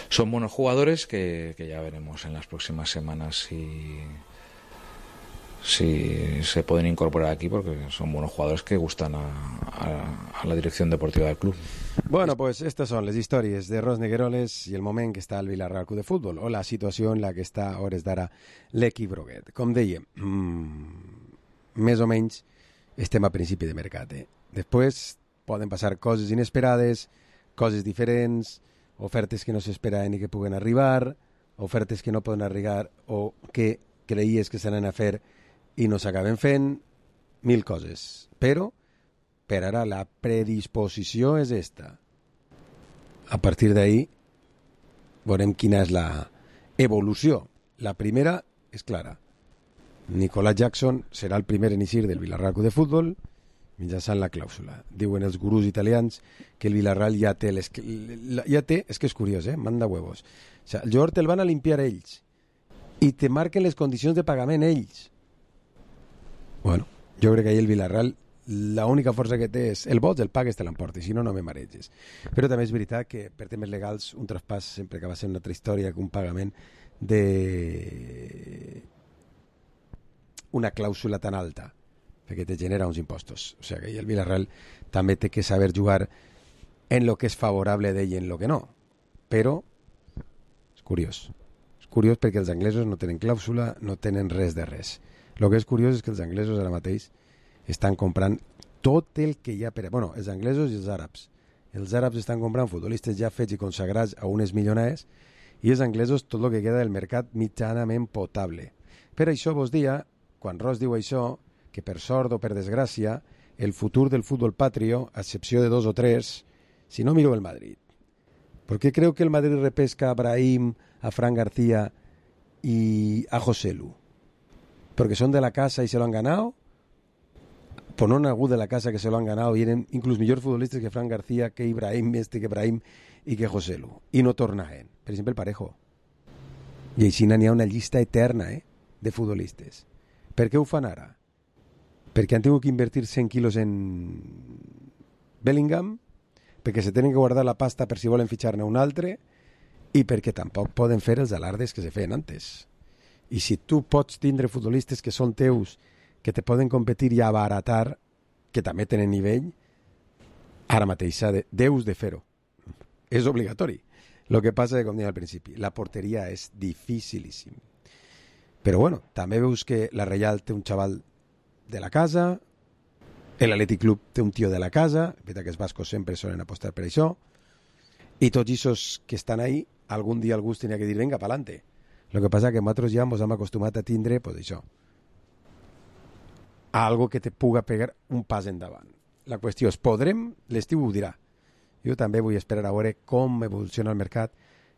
son buenos jugadores que, que ya veremos en las próximas semanas si... si se pueden incorporar aquí, porque son buenos jugadores que gustan a, a, a la dirección deportiva del club. Bueno, pues estas son les històries de Ros Negueroles i el moment que està el Villarreal Club de Futbol, o la situació en la que està a hores d'ara l'equip groguet. Com dèiem, mmm, més o menys estem a principi de mercat. Eh? Després poden passar coses inesperades, coses diferents, ofertes que no s'esperaven i que puguen arribar, ofertes que no poden arribar o que creies que s'anaven a fer i no s'acaben fent, mil coses. Però, per ara, la predisposició és esta. A partir d'ahí, veurem quina és la evolució. La primera és clara. Nicolás Jackson serà el primer en eixir del Villarreal de Futbol mitjançant la clàusula. Diuen els gurús italians que el Villarreal ja té, les, ja té, és que és curiós, eh? Manda huevos. O sea, el jugador te'l van a limpiar ells i te marquen les condicions de pagament ells. Bueno, jo crec que ahir el Villarreal l'única força que té és el vot, el pagues, te l'emportes, si no, no me mareges. Però també és veritat que per temes legals un traspàs sempre acaba sent una altra història que un pagament de una clàusula tan alta, perquè te genera uns impostos. O sigui que el Villarreal també té que saber jugar en lo que és favorable d'ell i en lo que no. Però és curiós. És curiós perquè els anglesos no tenen clàusula, no tenen res de res. El que és curiós és que els anglesos ara mateix estan comprant tot el que hi ha per... Bueno, els anglesos i els àrabs. Els àrabs estan comprant futbolistes ja fets i consagrats a unes milionades i els anglesos tot el que queda del mercat mitjanament potable. Per això vos dia, quan Ross diu això, que per sort o per desgràcia, el futur del futbol patrio, a excepció de dos o tres, si no miro el Madrid. ¿Por qué creo que el Madrid repesca a Brahim, a Fran García y a José Lu? ¿Porque son de la casa y se lo han ganado? Pues no han algú de la casa que se lo han ganado y eren inclús millors futbolistes que Fran García, que Ibrahim, este que Brahim i que José Lu. I no tornaven. Per exemple, el Parejo. I així n'hi ha una llista eterna eh, de futbolistes. Per què ho fan ara? Perquè han tingut que invertir cent quilos en Bellingham, perquè se tenen que guardar la pasta per si volen fitxar-ne un altre i perquè tampoc poden fer els alardes que se feien antes. I si tu pots tindre futbolistes que són teus, que te poden competir i abaratar, que també tenen nivell, ara mateix de, deus de fer-ho. És obligatori. El que passa, com deia al principi, la porteria és dificilíssim. Però bueno, també veus que la Reial té un xaval de la casa, l'Atlètic Club té un tio de la casa, veritat que els bascos sempre solen apostar per això, i tots aquests que estan ahí, algun dia algú tenia que dir, venga, pa'lante. El que passa que nosaltres ja ens hem acostumat a tindre, pues això, a algo que te puga pegar un pas endavant. La qüestió és, podrem? L'estiu ho dirà. Jo també vull esperar a veure com evoluciona el mercat,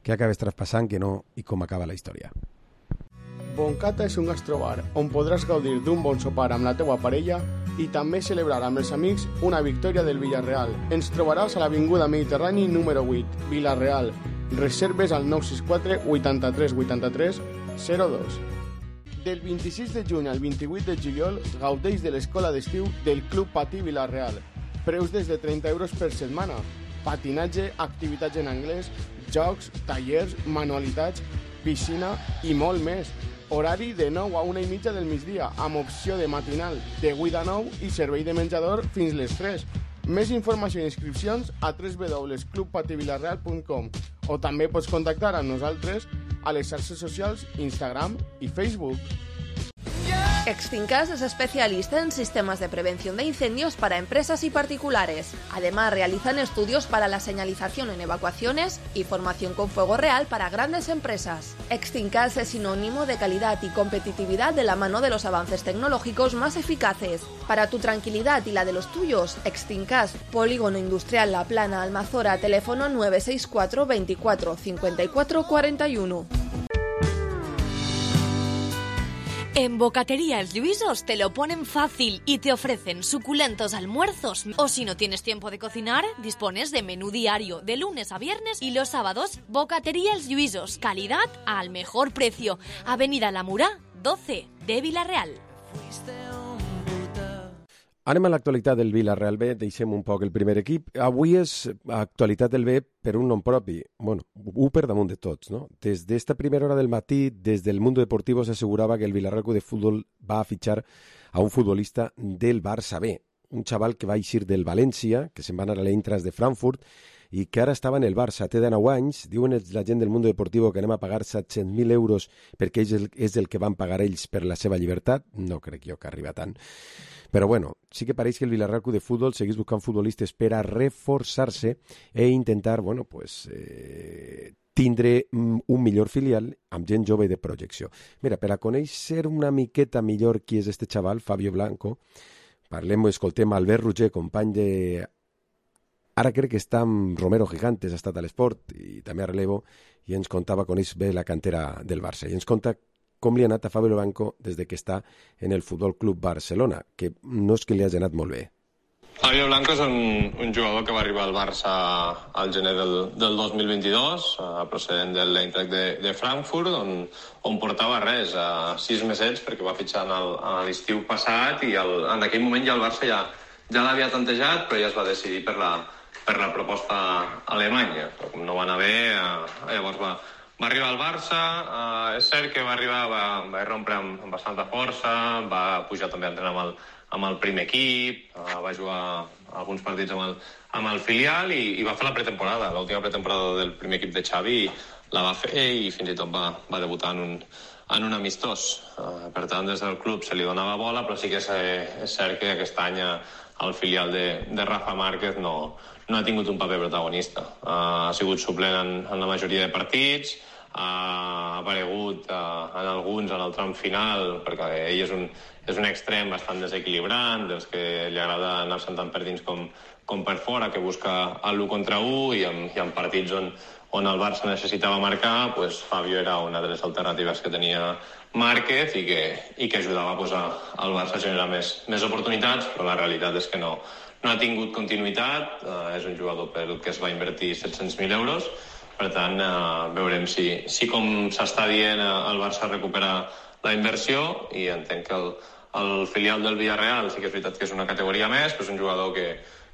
què acabes traspassant, que no, i com acaba la història. Boncata és un gastrobar on podràs gaudir d'un bon sopar amb la teua parella i també celebrar amb els amics una victòria del Villarreal. Ens trobaràs a l'Avinguda Mediterrani número vuit, Villarreal. Reserves al nou sis quatre vuitanta-tres vuitanta-tres zero dos. Del vint-i-sis de juny al vint-i-vuit de juliol gaudeix de l'escola d'estiu del Club Patí Villarreal. Preus des de trenta euros per setmana. Patinatge, activitats en anglès, jocs, tallers, manualitats, piscina i molt més. Horari de nou a una i mitja del migdia, amb opció de matinal de vuit a nou i servei de menjador fins les tres. Més informació i inscripcions a w w w punt club patí villarreal punt com o també pots contactar amb nosaltres a les xarxes socials Instagram y Facebook. Extincas es especialista en sistemas de prevención de incendios para empresas y particulares. Además, realizan estudios para la señalización en evacuaciones y formación con fuego real para grandes empresas. Extincas es sinónimo de calidad y competitividad de la mano de los avances tecnológicos más eficaces. Para tu tranquilidad y la de los tuyos, Extincas, Polígono Industrial La Plana, Almazora, teléfono nueve seis cuatro veinticuatro cincuenta y cuatro cuarenta y uno. En Bocatería Els Lluïsos te lo ponen fácil y te ofrecen suculentos almuerzos. O si no tienes tiempo de cocinar, dispones de menú diario de lunes a viernes y los sábados. Bocatería Els Lluïsos, calidad al mejor precio. Avenida La Murà, doce de Villarreal. Anem a l'actualitat del Villarreal B, deixem un poc el primer equip. Avui és actualitat del B per un nom propi, bueno, un per damunt de tots, no? Des d'esta primera hora del matí, des del Mundo Deportivo s'assegurava que el Villarreal Club de Futbol va a fitxar a un futbolista del Barça B, un xaval que va eixir del València, que se'n va anar a l'Eintracht de Frankfurt, i que ara estava en el Barça, té dinou anys, diuen la gent del Mundo Deportivo que anem a pagar set-cents mil euros perquè és el, és el que van pagar ells per la seva llibertat, no crec jo que arriba tant. Però bueno, sí que pareix que el Villarreal Club de Futbol seguís buscant futbolistes per a reforçar-se e intentar, bueno, pues, eh, tindre un millor filial amb gent jove de projecció. Mira, per a conèixer una miqueta millor qui és este xaval, Fabio Blanco, parlem o escoltem Albert Roger, company de... Ara crec que està amb Romero Gigantes, ha estat a l'Esport i també a relevo, i ens contava, coneix bé la cantera del Barça, i ens conta com li ha anat a Fabio Blanco des de que està en el Futbol Club Barcelona, que no és que li hagi anat molt bé. Fabio Blanco és un, un jugador que va arribar al Barça al gener del, del dos mil vint-i-dos, uh, procedent de l'Eintracht de, de Frankfurt, on, on portava res, uh, sis mesets, perquè va fitxar en l'estiu passat, i el, en aquell moment ja el Barça ja, ja l'havia tantejat, però ja es va decidir per la, per la proposta alemanya. Però com no va anar bé, uh, llavors va, va arribar al Barça, uh, és cert que va arribar, va, va rompre amb, amb bastanta força, va pujar també a entrenar amb el, amb el primer equip, uh, va jugar alguns partits amb el, amb el filial i, i va fer la pretemporada, l'última pretemporada del primer equip de Xavi la va fer i fins i tot va, va debutar en un, en un amistós. Uh, per tant, des del club se li donava bola, però sí que és, és cert que aquest any el filial de, de Rafa Márquez no, no ha tingut un paper protagonista. Uh, ha sigut suplent en, en la majoria de partits, ha aparegut uh, en alguns en el tram final, perquè ell és un, és un extrem bastant desequilibrant, dels que li agrada anar-se'n tant per dins com, com per fora, que busca l'u contra u, i en, i en partits on, on el Barça necessitava marcar, pues Fabio era una de les alternatives que tenia Márquez i que, i que ajudava pues, a, al Barça a generar més, més oportunitats, però la realitat és que no, no ha tingut continuïtat. Uh, és un jugador pel que es va invertir set-cents mil euros. Per tant, uh, veurem si, si com s'està dient, uh, el Barça recupera la inversió, i entenc que el, el filial del Villarreal sí que és veritat que és una categoria més, però és un jugador que,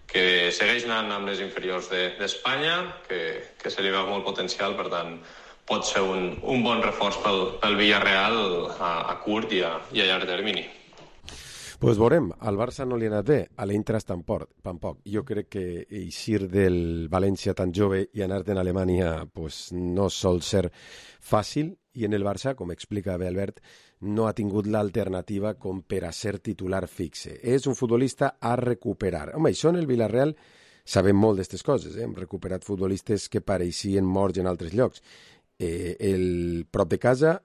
que segueix anant amb les inferiors d'Espanya, de, que, que se li veu molt potencial, per tant, pot ser un, un bon reforç pel, pel Villarreal a, a curt i a, i a llarg termini. Pues veurem, al Barça no li ha anat bé, a l'Eintracht tampoc, tampoc. Jo crec que eixir del València tan jove i anar-te en Alemanya pues, no sol ser fàcil, i en el Barça, com explica bé Albert, no ha tingut l'alternativa com per a ser titular fixe. És un futbolista a recuperar. Home, això en el Villarreal sabem molt d'aquestes coses, eh? Hem recuperat futbolistes que pareixien morts en altres llocs. Eh, el prop de casa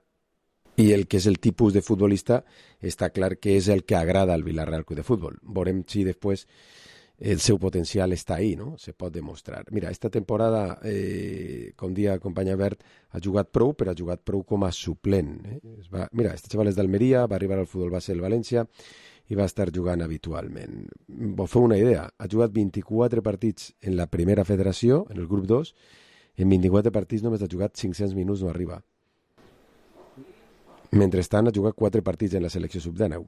i el que és el tipus de futbolista està clar que és el que agrada al Villarreal Club de Futbol. Veurem si després el seu potencial està ahí, no? Se pot demostrar. Mira, esta temporada, eh, com dia company Albert, ha jugat prou, però ha jugat prou com a suplent. Eh? Es va, mira, este xaval és d'Almeria, va arribar al futbol base del València i va estar jugant habitualment. Vos feu una idea, ha jugat vint-i-quatre partits en la primera federació, en el grup dos, en vint-i-quatre partits només ha jugat cinc-cents minuts, no arriba. Mentrestant ha jugat quatre partits en la selecció sub dinou.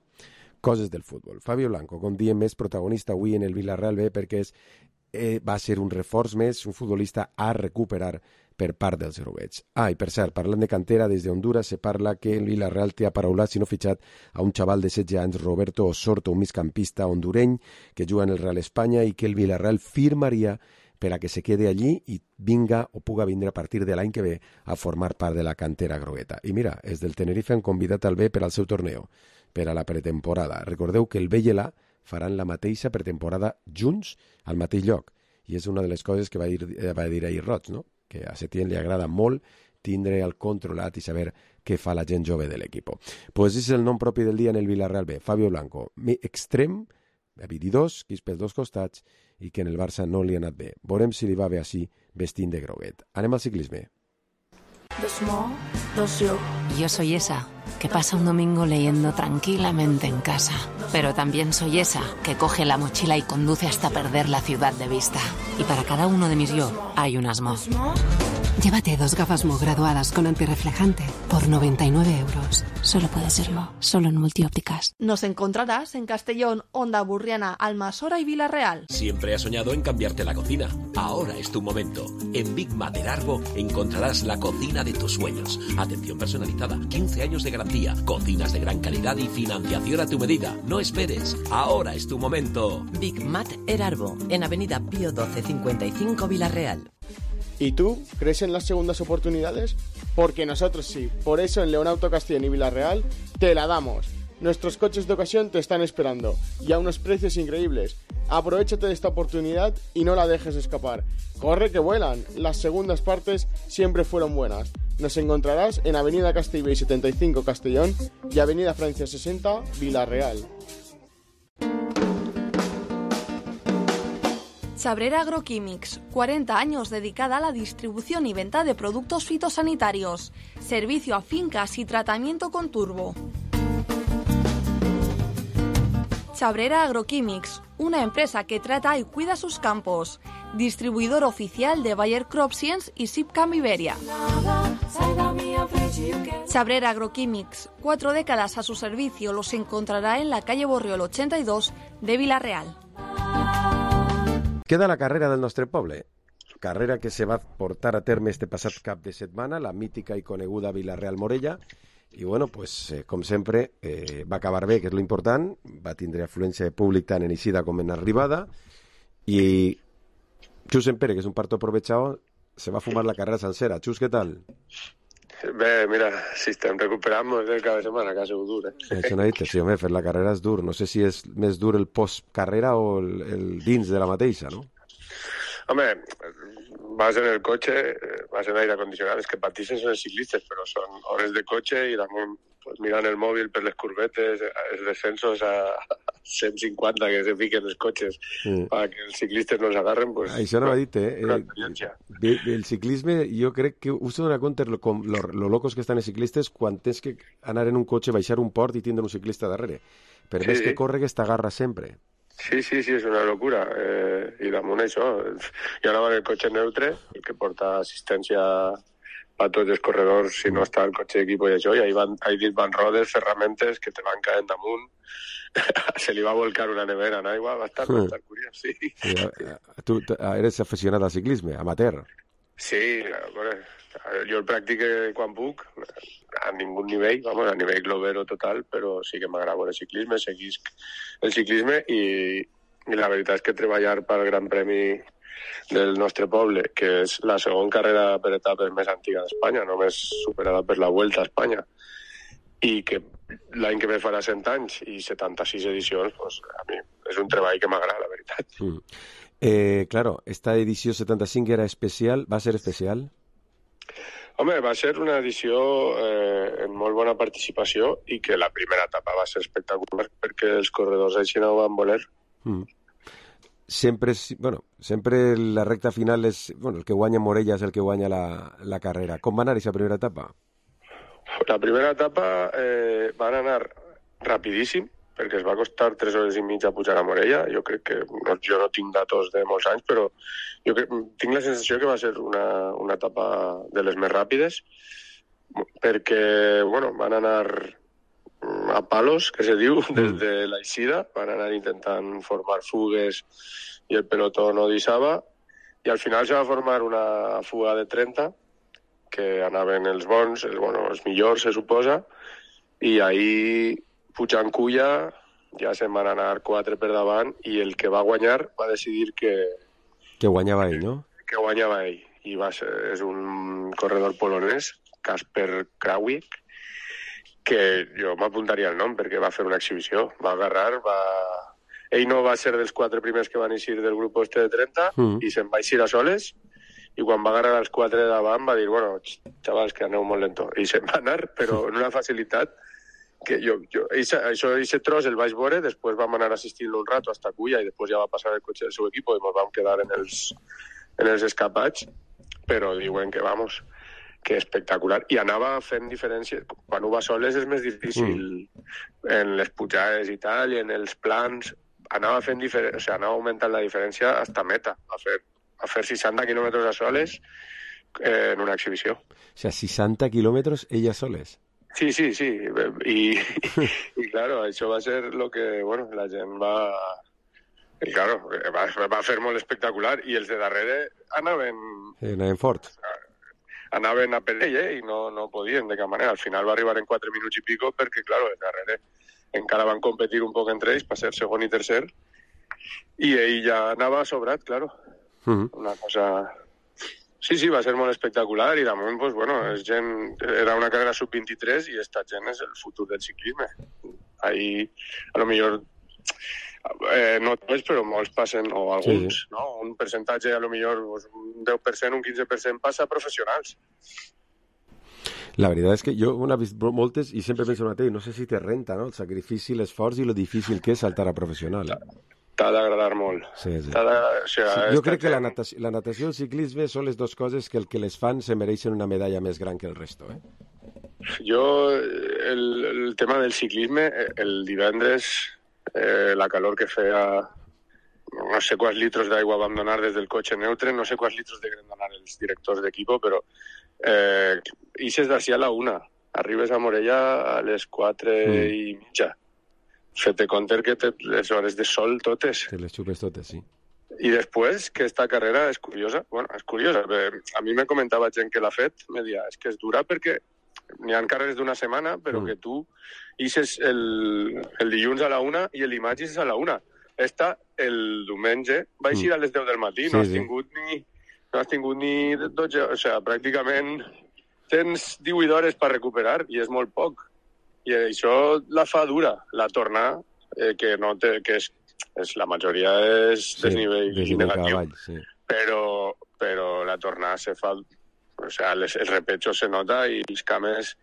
Coses del futbol. Fabio Blanco, com diem, més protagonista avui en el Villarreal B, perquè és, eh, va ser un reforç més, un futbolista a recuperar per part dels groguets. Ah, i per cert, parlant de cantera, des de Honduras se parla que el Villarreal té aparaulat, si no fitxat, a un xaval de setze anys, Roberto Osorto, un migcampista hondureny que juga en el Real Espanya, i que el Villarreal firmaria per a que se quede allí i vinga o puga vindre a partir de l'any que ve a formar part de la cantera grogueta. I mira, els del Tenerife han convidat al B per al seu torneo, per a la pretemporada. Recordeu que el B i l'A faran la mateixa pretemporada junts al mateix lloc, i és una de les coses que va dir, va dir ahir Roig, no? Que a Setién li agrada molt tindre el controlat i saber què fa la gent jove de l'equip. Pues és el nom propi del dia en el Villarreal B, Fabio Blanco, extrem, habilidós, que és pels dos costats, i que en el Barça no li ha anat bé. Veurem si li va bé així vestint de groguet. Anem al ciclisme. Dos mo, dos yo. Yo soy esa que pasa un domingo leyendo tranquilamente en casa. Pero también soy esa que coge la mochila y conduce hasta perder la ciudad de vista. Y para cada uno de mis yo hay unas mo. Llévate dos gafas Mo graduadas con antirreflejante por noventa y nueve euros. Solo puede ser Mo, solo en Multiópticas. Nos encontrarás en Castellón, Onda Burriana, Almasora y Villarreal. Siempre has soñado en cambiarte la cocina. Ahora es tu momento. En Big Mat del Arbo encontrarás la cocina de tus sueños. Atención personalizada, quince años de garantía, cocinas de gran calidad y financiación a tu medida. No esperes. Ahora es tu momento. Big Mat El Arbo, en Avenida Pío doce cincuenta y cinco Villarreal. ¿Y tú crees en las segundas oportunidades? Porque nosotros sí. Por eso en Leonauto Castellón y Villarreal te la damos. Nuestros coches de ocasión te están esperando y a unos precios increíbles. Aprovechate de esta oportunidad y no la dejes escapar. Corre que vuelan. Las segundas partes siempre fueron buenas. Nos encontrarás en Avenida Castellbell setenta y cinco Castellón y Avenida Francia sesenta Villarreal. Chabrera Agroquímics, cuarenta años dedicada a la distribución y venta de productos fitosanitarios, servicio a fincas y tratamiento con turbo. Chabrera Agroquímics, una empresa que trata y cuida sus campos, distribuidor oficial de Bayer CropScience y Sipcam Iberia. Chabrera Agroquímics, cuatro décadas a su servicio, los encontrará en la calle Borriol ochenta y dos de Villarreal. Queda la carrera del nostre poble. carrera que se va portar a terme este passat cap de setmana, la mítica i coneguda Vilareal-Morella, i bueno, pues, eh, com sempre, eh, va acabar bé, que és lo important, va tindre afluència de públic tant en eixida com en arribada, i Xus Empere, que és un parto aprovechado, se va a fumar la carrera sencera. Xus, què tal? Bé, mira, si estem recuperant del cap de setmana, que ha sigut dur, eh? Això no ha dit, sí, home, fer la carrera és dur. No sé si és més dur el post-carrera o el, el dins de la mateixa, no? Home, vas en el cotxe, vas en aire acondicionat, és que patixen són els ciclistes, però són hores de cotxe i damunt pues, mirant el mòbil per les curvetes, els descensos a cent cinquanta que se fiquen els cotxes mm. perquè els ciclistes no s'agarren, pues... Això no ho ha dit, eh? eh el ciclisme, jo crec que us dona compte lo, lo, lo locos que estan els ciclistes quan tens que anar en un cotxe, baixar un port i tindre un ciclista darrere. Per més sí. que corre, que t'agarra sempre. Sí, sí, sí, és una locura. Eh, I damunt això, jo anava en el cotxe neutre, el que porta assistència a tots els corredors, si no està el cotxe d'equip i això, i ahí van, ahí van rodes, ferramentes que te van caent damunt. Se li va volcar una nevera en aigua, va estar, va estar curiós, sí. sí. Tu eres aficionat al ciclisme, amateur? Sí, bueno, jo el practico quan puc, a ningú nivell, vamos, a nivell globero total, però sí que m'agrada el ciclisme, seguisc el ciclisme i, i la veritat és que treballar pel Gran Premi del nostre poble, que és la segona carrera per etapes més antiga d'Espanya, només superada per la Vuelta a Espanya, i que l'any que ve farà cent anys i setanta-sis edicions, pues, a mi és un treball que m'agrada, la veritat. Mm. Eh, claro, esta edició setanta-cinc era especial, va ser especial? Home, va ser una edició eh, amb molt bona participació i que la primera etapa va ser espectacular perquè els corredors així no ho van voler. Mm. Sempre, bueno, sempre la recta final és, bueno, el que guanya Morella és el que guanya la, la carrera. Com va anar aquesta primera etapa? La primera etapa eh, van anar rapidíssim, perquè es va costar tres hores i mitja pujar a Morella. Jo crec que, no, jo no tinc datos de molts anys, però jo crec, tinc la sensació que va ser una, una etapa de les més ràpides, perquè, bueno, van anar a palos, que se diu, des de l'eixida, van anar intentant formar fugues i el pelotó no deixava, i al final se va formar una fuga de trenta, que anaven els bons, els, bueno, els millors, se suposa, i ahir, pujant culla, ja se'n van anar quatre per davant, i el que va guanyar va decidir que... Que guanyava ell, no? Que guanyava ell, i va ser, és un corredor polonès, Kasper Krawiec, que jo m'apuntaria el nom perquè va fer una exhibició, va agarrar, va... Ell no va ser dels quatre primers que van eixir del grup este de trenta, mm. i se'n va eixir a soles, i quan va agarrar els quatre de davant va dir, bueno, xavals, que aneu molt lento. I se'n va anar, però en una facilitat que jo... jo eixa, això, aquest tros el vaig veure, després vam anar assistint un rato hasta Culla i després ja va passar el cotxe del seu equip i ens vam quedar en els, en els escapats, però diuen que, vamos, que espectacular. I anava fent diferències. Quan ho va soles és més difícil mm. en les pujades i tal, i en els plans. Anava fent diferència, o sigui, anava augmentant la diferència hasta meta, a fer a fer seixanta quilòmetres a soles eh, en una exhibició. O sigui, seixanta quilòmetres ella soles? Sí, sí, sí. I, i, i claro, això va ser lo que, bueno, la gent va... I claro, va, va fer molt espectacular i els de darrere anaven... Sí, anaven fort. Anaven a per ell, eh, i no, no podien de cap manera. Al final va arribar en quatre minuts i pico perquè, claro, els darrere encara van competir un poc entre ells per ser segon i tercer i ell ja anava sobrat, claro. Uh-huh. Una cosa... Sí, sí, va ser molt espectacular i damunt, pues, bueno, és gent... era una carrera sub vint-i-tres i esta gent és el futur del ciclisme. Ahí, a lo millor, eh, no tots, però molts passen, o alguns, sí. no? Un percentatge, a lo millor, pues, un deu per cent, un quinze per cent passa a professionals. La veritat és que jo ho he vist moltes i sempre penso en mateix, no sé si te renta, no? El sacrifici, l'esforç i lo difícil que és saltar a professional. Eh? T'ha d'agradar molt. Sí, sí. O sigui, sí, jo crec que la natació, la natació i el ciclisme són les dues coses que el que les fan se mereixen una medalla més gran que el resto, eh? Jo, el, el tema del ciclisme, el divendres, eh, la calor que feia, no sé quants litros d'aigua vam donar des del cotxe neutre, no sé quants litros deuen donar els directors d'equip, però eh, ixes d'ací a la una, arribes a Morella a les quatre mm. i mitja. Fete compte que té les hores de sol totes. Te les xupes totes, sí. Y después, que esta carrera es curiosa, bueno, es curiosa, a mí me comentaba gent que l'ha fet, me deia, és que és dura perquè n'hi ha carreres d'una setmana, però mm. que tu ixes el, el dilluns a la una i el dimarts ixes a la una. Esta, el diumenge, va eixir mm. a les deu del matí, sí, no has sí. tingut ni no has tingut ni dotze, o sigui, pràcticament tens divuit hores per recuperar i és molt poc. I això la fa dura, la tornar, eh, que no té, que és és, la majoria és sí, desnivell negatiu, cavall, sí. però, però la tornada se fa... O sea, les, el repecho se nota i els cames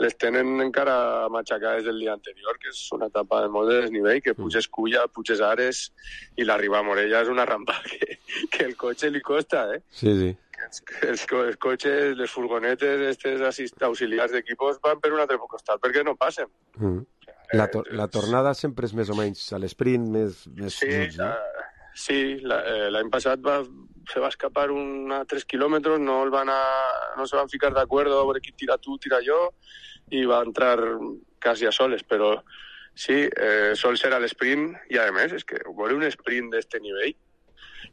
les tenen encara matxacades del dia anterior, que és una etapa de molt de desnivell, que puges Culla, puges Ares, i l'arribar a Morella és una rampa que, que el cotxe li costa, eh? Sí, sí. Els, els, els cotxes, les furgonetes, estes assist, auxiliars d'equipos van per un altre costat perquè no passen. Mm. La, to la tornada sempre és més o menys a l'esprint, més... més sí, minuts, no? uh, sí, l'any passat va, se va escapar un, a tres quilòmetres, no, el van a, no se van ficar d'acord a veure qui tira tu, tira jo, i va entrar quasi a soles, però sí, eh, sol ser a l'esprint, i a més, és que veure un sprint d'este nivell,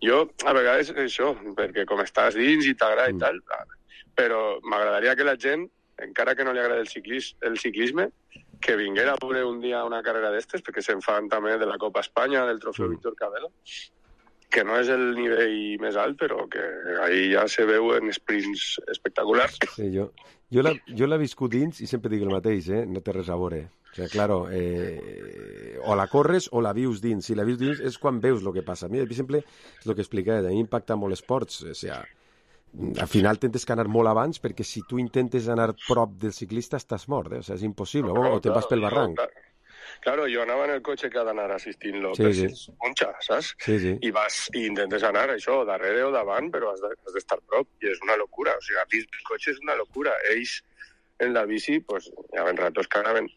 jo a vegades això, perquè com estàs dins i t'agrada mm. i tal, però m'agradaria que la gent, encara que no li agrada el, ciclis, el ciclisme, que vinguera a veure un dia una carrera d'estes, perquè se'n fan també de la Copa Espanya, del trofeu mm. Víctor Cabello, que no és el nivell més alt, però que ahí ja se veuen sprints espectaculars. Sí, jo, jo l'he viscut dins i sempre dic el mateix, eh? No té res a veure. O sigui, claro, eh, o la corres o la vius dins. Si la vius dins és quan veus el que passa. A mi, per exemple, és el que explicava, a mi impacta molt esports, o sigui, al final tens que anar molt abans perquè si tu intentes anar prop del ciclista estàs mort, eh? O sigui, és impossible, no, o te vas pel barranc. Claro, claro, jo anava en el cotxe que ha d'anar assistint-lo sí, per sí. si es punxa, saps? Sí, sí. I vas i intentes anar això, darrere o davant, però has d'estar de, prop, i és una locura. O sigui, a dins del cotxe és una locura. Ells en la bici, pues, hi havia ratos que anaven,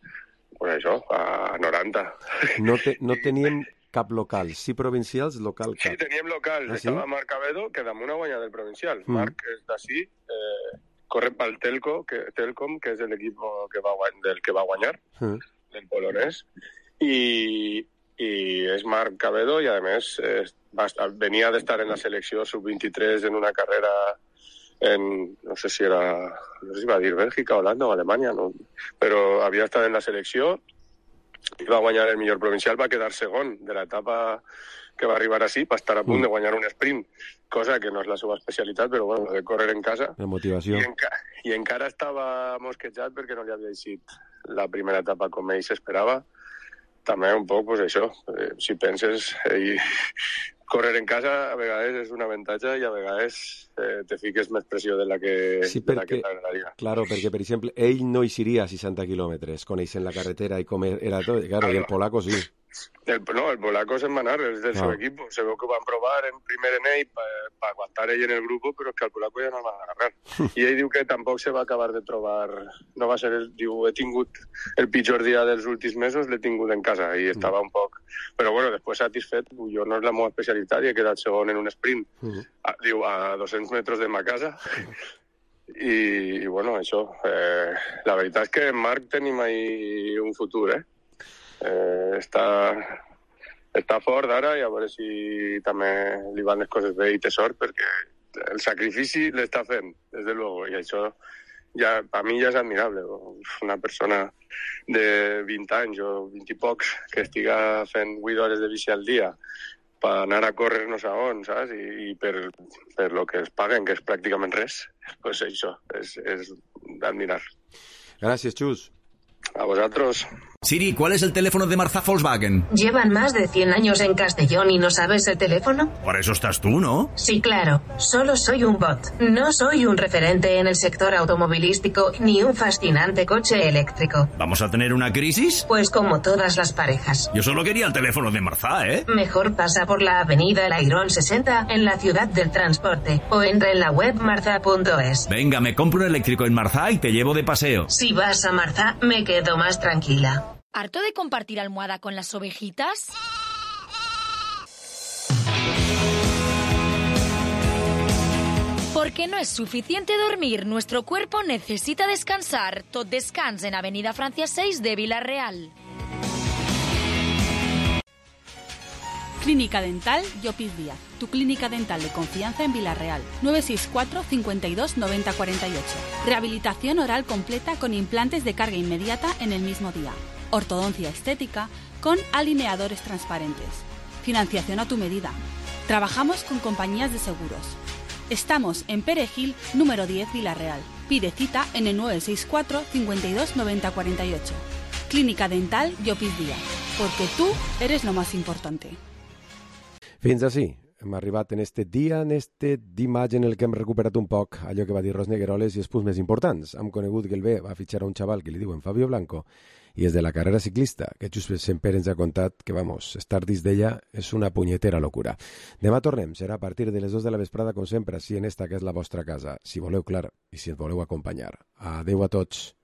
pues això, a noranta. No, te, no teníem cap local, sí provincials, local cap. Sí, teníem local, ah, estava sí? Marc Cabedo, que damunt ha guanyat el provincial. Mm. Marc és d'ací, eh, corre pel Telco, que, Telcom, que és l'equip que va, del que va guanyar, mm. del polonès, i, i és Marc Cabedo, i a més eh, va, venia d'estar en la selecció sub vint-i-tres en una carrera en, no sé si era, no sé si va dir Bèlgica, Holanda o Alemanya, no? Però havia estat en la selecció i va guanyar el millor provincial, va quedar segon de l'etapa que va arribar així, va estar a punt mm. de guanyar un sprint, cosa que no és la seva especialitat, però bueno, de córrer en casa. La motivació. I, enca I encara estava mosquejat perquè no li havia eixit la primera etapa com ell s'esperava. També un poc, pues això, eh, si penses, eh, córrer en casa a vegades és un avantatge i a vegades eh, te fiques més pressió de la que sí, perquè, t'agradaria. Claro, perquè, per exemple, ell no eixiria a seixanta quilòmetres, coneixent la carretera i com era tot, claro, claro. I el polaco sí. El, no, el polaco se'n va anar, és del no. seu equip. Se veu que ho van provar en primer en ell per pa aguantar ell en el grup, però és que el polaco ja no el van agarrar. I ell diu que tampoc se va acabar de trobar... No va ser... El, diu, he tingut el pitjor dia dels últims mesos, l'he tingut en casa, i estava mm. un poc... Però bueno, després satisfet, jo no és la meva especialitat, i he quedat segon en un sprint, mm. a, diu, a dos-cents metres de ma casa. I, i bueno, això... Eh, la veritat és que en Marc tenim ahí un futur, eh? Eh, està, està fort ara i a veure si també li van les coses bé i té sort, perquè el sacrifici l'està fent, des de luego, i això ja, a mi ja és admirable. Una persona de vint anys o vint i pocs que estiga fent vuit hores de bici al dia per anar a córrer no sé on, saps? I, i per, per lo que es paguen, que és pràcticament res, pues això és, és d'admirar. Gràcies, Xus. A vosotros. Siri, ¿cuál es el teléfono de Marzá Volkswagen? ¿Llevan más de cien años en Castellón y no sabes el teléfono? Por eso estás tú, ¿no? Sí, claro. Solo soy un bot. No soy un referente en el sector automovilístico ni un fascinante coche eléctrico. ¿Vamos a tener una crisis? Pues como todas las parejas. Yo solo quería el teléfono de Marzá, ¿eh? Mejor pasa por la avenida Lairón sesenta en la ciudad del transporte o entra en la web marza punto es. Venga, me compro un eléctrico en Marzá y te llevo de paseo. Si vas a Marzá, me quedo más tranquila. ¿Harto de compartir almohada con las ovejitas? Porque no es suficiente dormir, nuestro cuerpo necesita descansar. Tot descans en Avenida Francia seis de Vila-real. Clínica Dental Llopis Díaz, tu clínica dental de confianza en Vila-real. nueve seis cuatro, cincuenta y dos, noventa cuarenta y ocho. Rehabilitación oral completa con implantes de carga inmediata en el mismo día. Ortodoncia estética con alineadores transparentes. Financiación a tu medida. Trabajamos con compañías de seguros. Estamos en Perejil, número diez, Vila-real. Pide cita en el nueve seis cuatro, cincuenta y dos, noventa cuarenta y ocho. Clínica Dental Llopis Díaz, porque tú eres lo más importante. Fins així, hem arribat en este dia, en este dimarts en el que hem recuperat un poc allò que va dir Ros Negueroles i els punts més importants. Hem conegut que el B va fitxar a un xaval que li diuen Fabio Blanco i és de la carrera ciclista, que just sempre ens ha contat que, vamos, estar dins d'ella és una punyetera locura. Demà tornem, serà a partir de les dues de la vesprada, com sempre, si en esta que és la vostra casa, si voleu, clar, i si ens voleu acompanyar. Adeu a tots.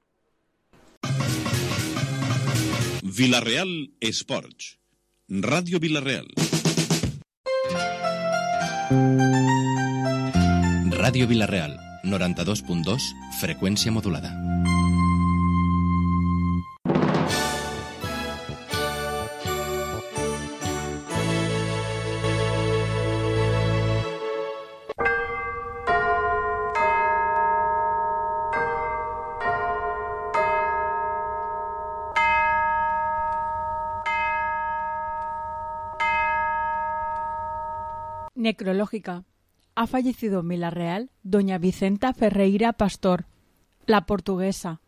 Vila-real Esports. Ràdio Vila-real. Ràdio Vila-real, noranta-dos punt dos, freqüència modulada. Necrológica. Ha fallecido en Vila-real doña Vicenta Ferreira Pastor, la portuguesa.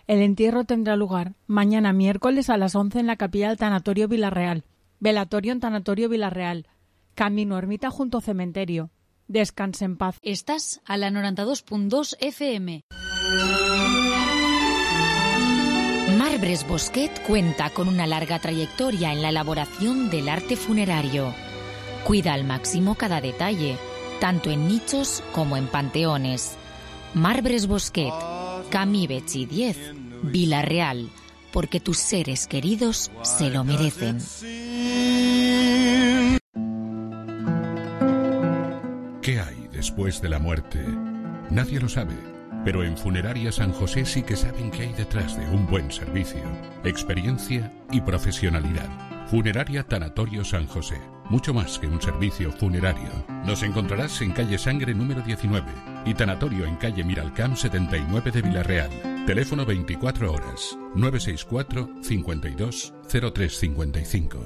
El entierro tendrá lugar mañana miércoles a las once en la capilla del Tanatorio Vila-real. Velatorio en Tanatorio Vila-real. Camino ermita junto cementerio. Descanse en paz. Estás a la noranta-dos punt dos F M. Marbres Bosquet cuenta con una larga trayectoria en la elaboración del arte funerario. Cuida al máximo cada detalle, tanto en nichos como en panteones. Marbres Bosquet, Camí Betxí diez, Vila-real, porque tus seres queridos se lo merecen. ¿Qué hay después de la muerte? Nadie lo sabe, pero en Funeraria San José sí que saben qué hay detrás de un buen servicio, experiencia y profesionalidad. Funeraria Tanatorio San José. Mucho más que un servicio funerario. Nos encontrarás en calle Sangre número diecinueve y Tanatorio en calle Miralcamp setenta y nueve de Vila-real. Teléfono veinticuatro horas, nueve seis cuatro, cincuenta y dos, cero tres cincuenta y cinco.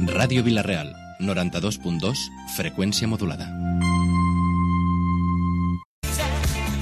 Ràdio Vila-real, noranta-dos punt dos, freqüència modulada.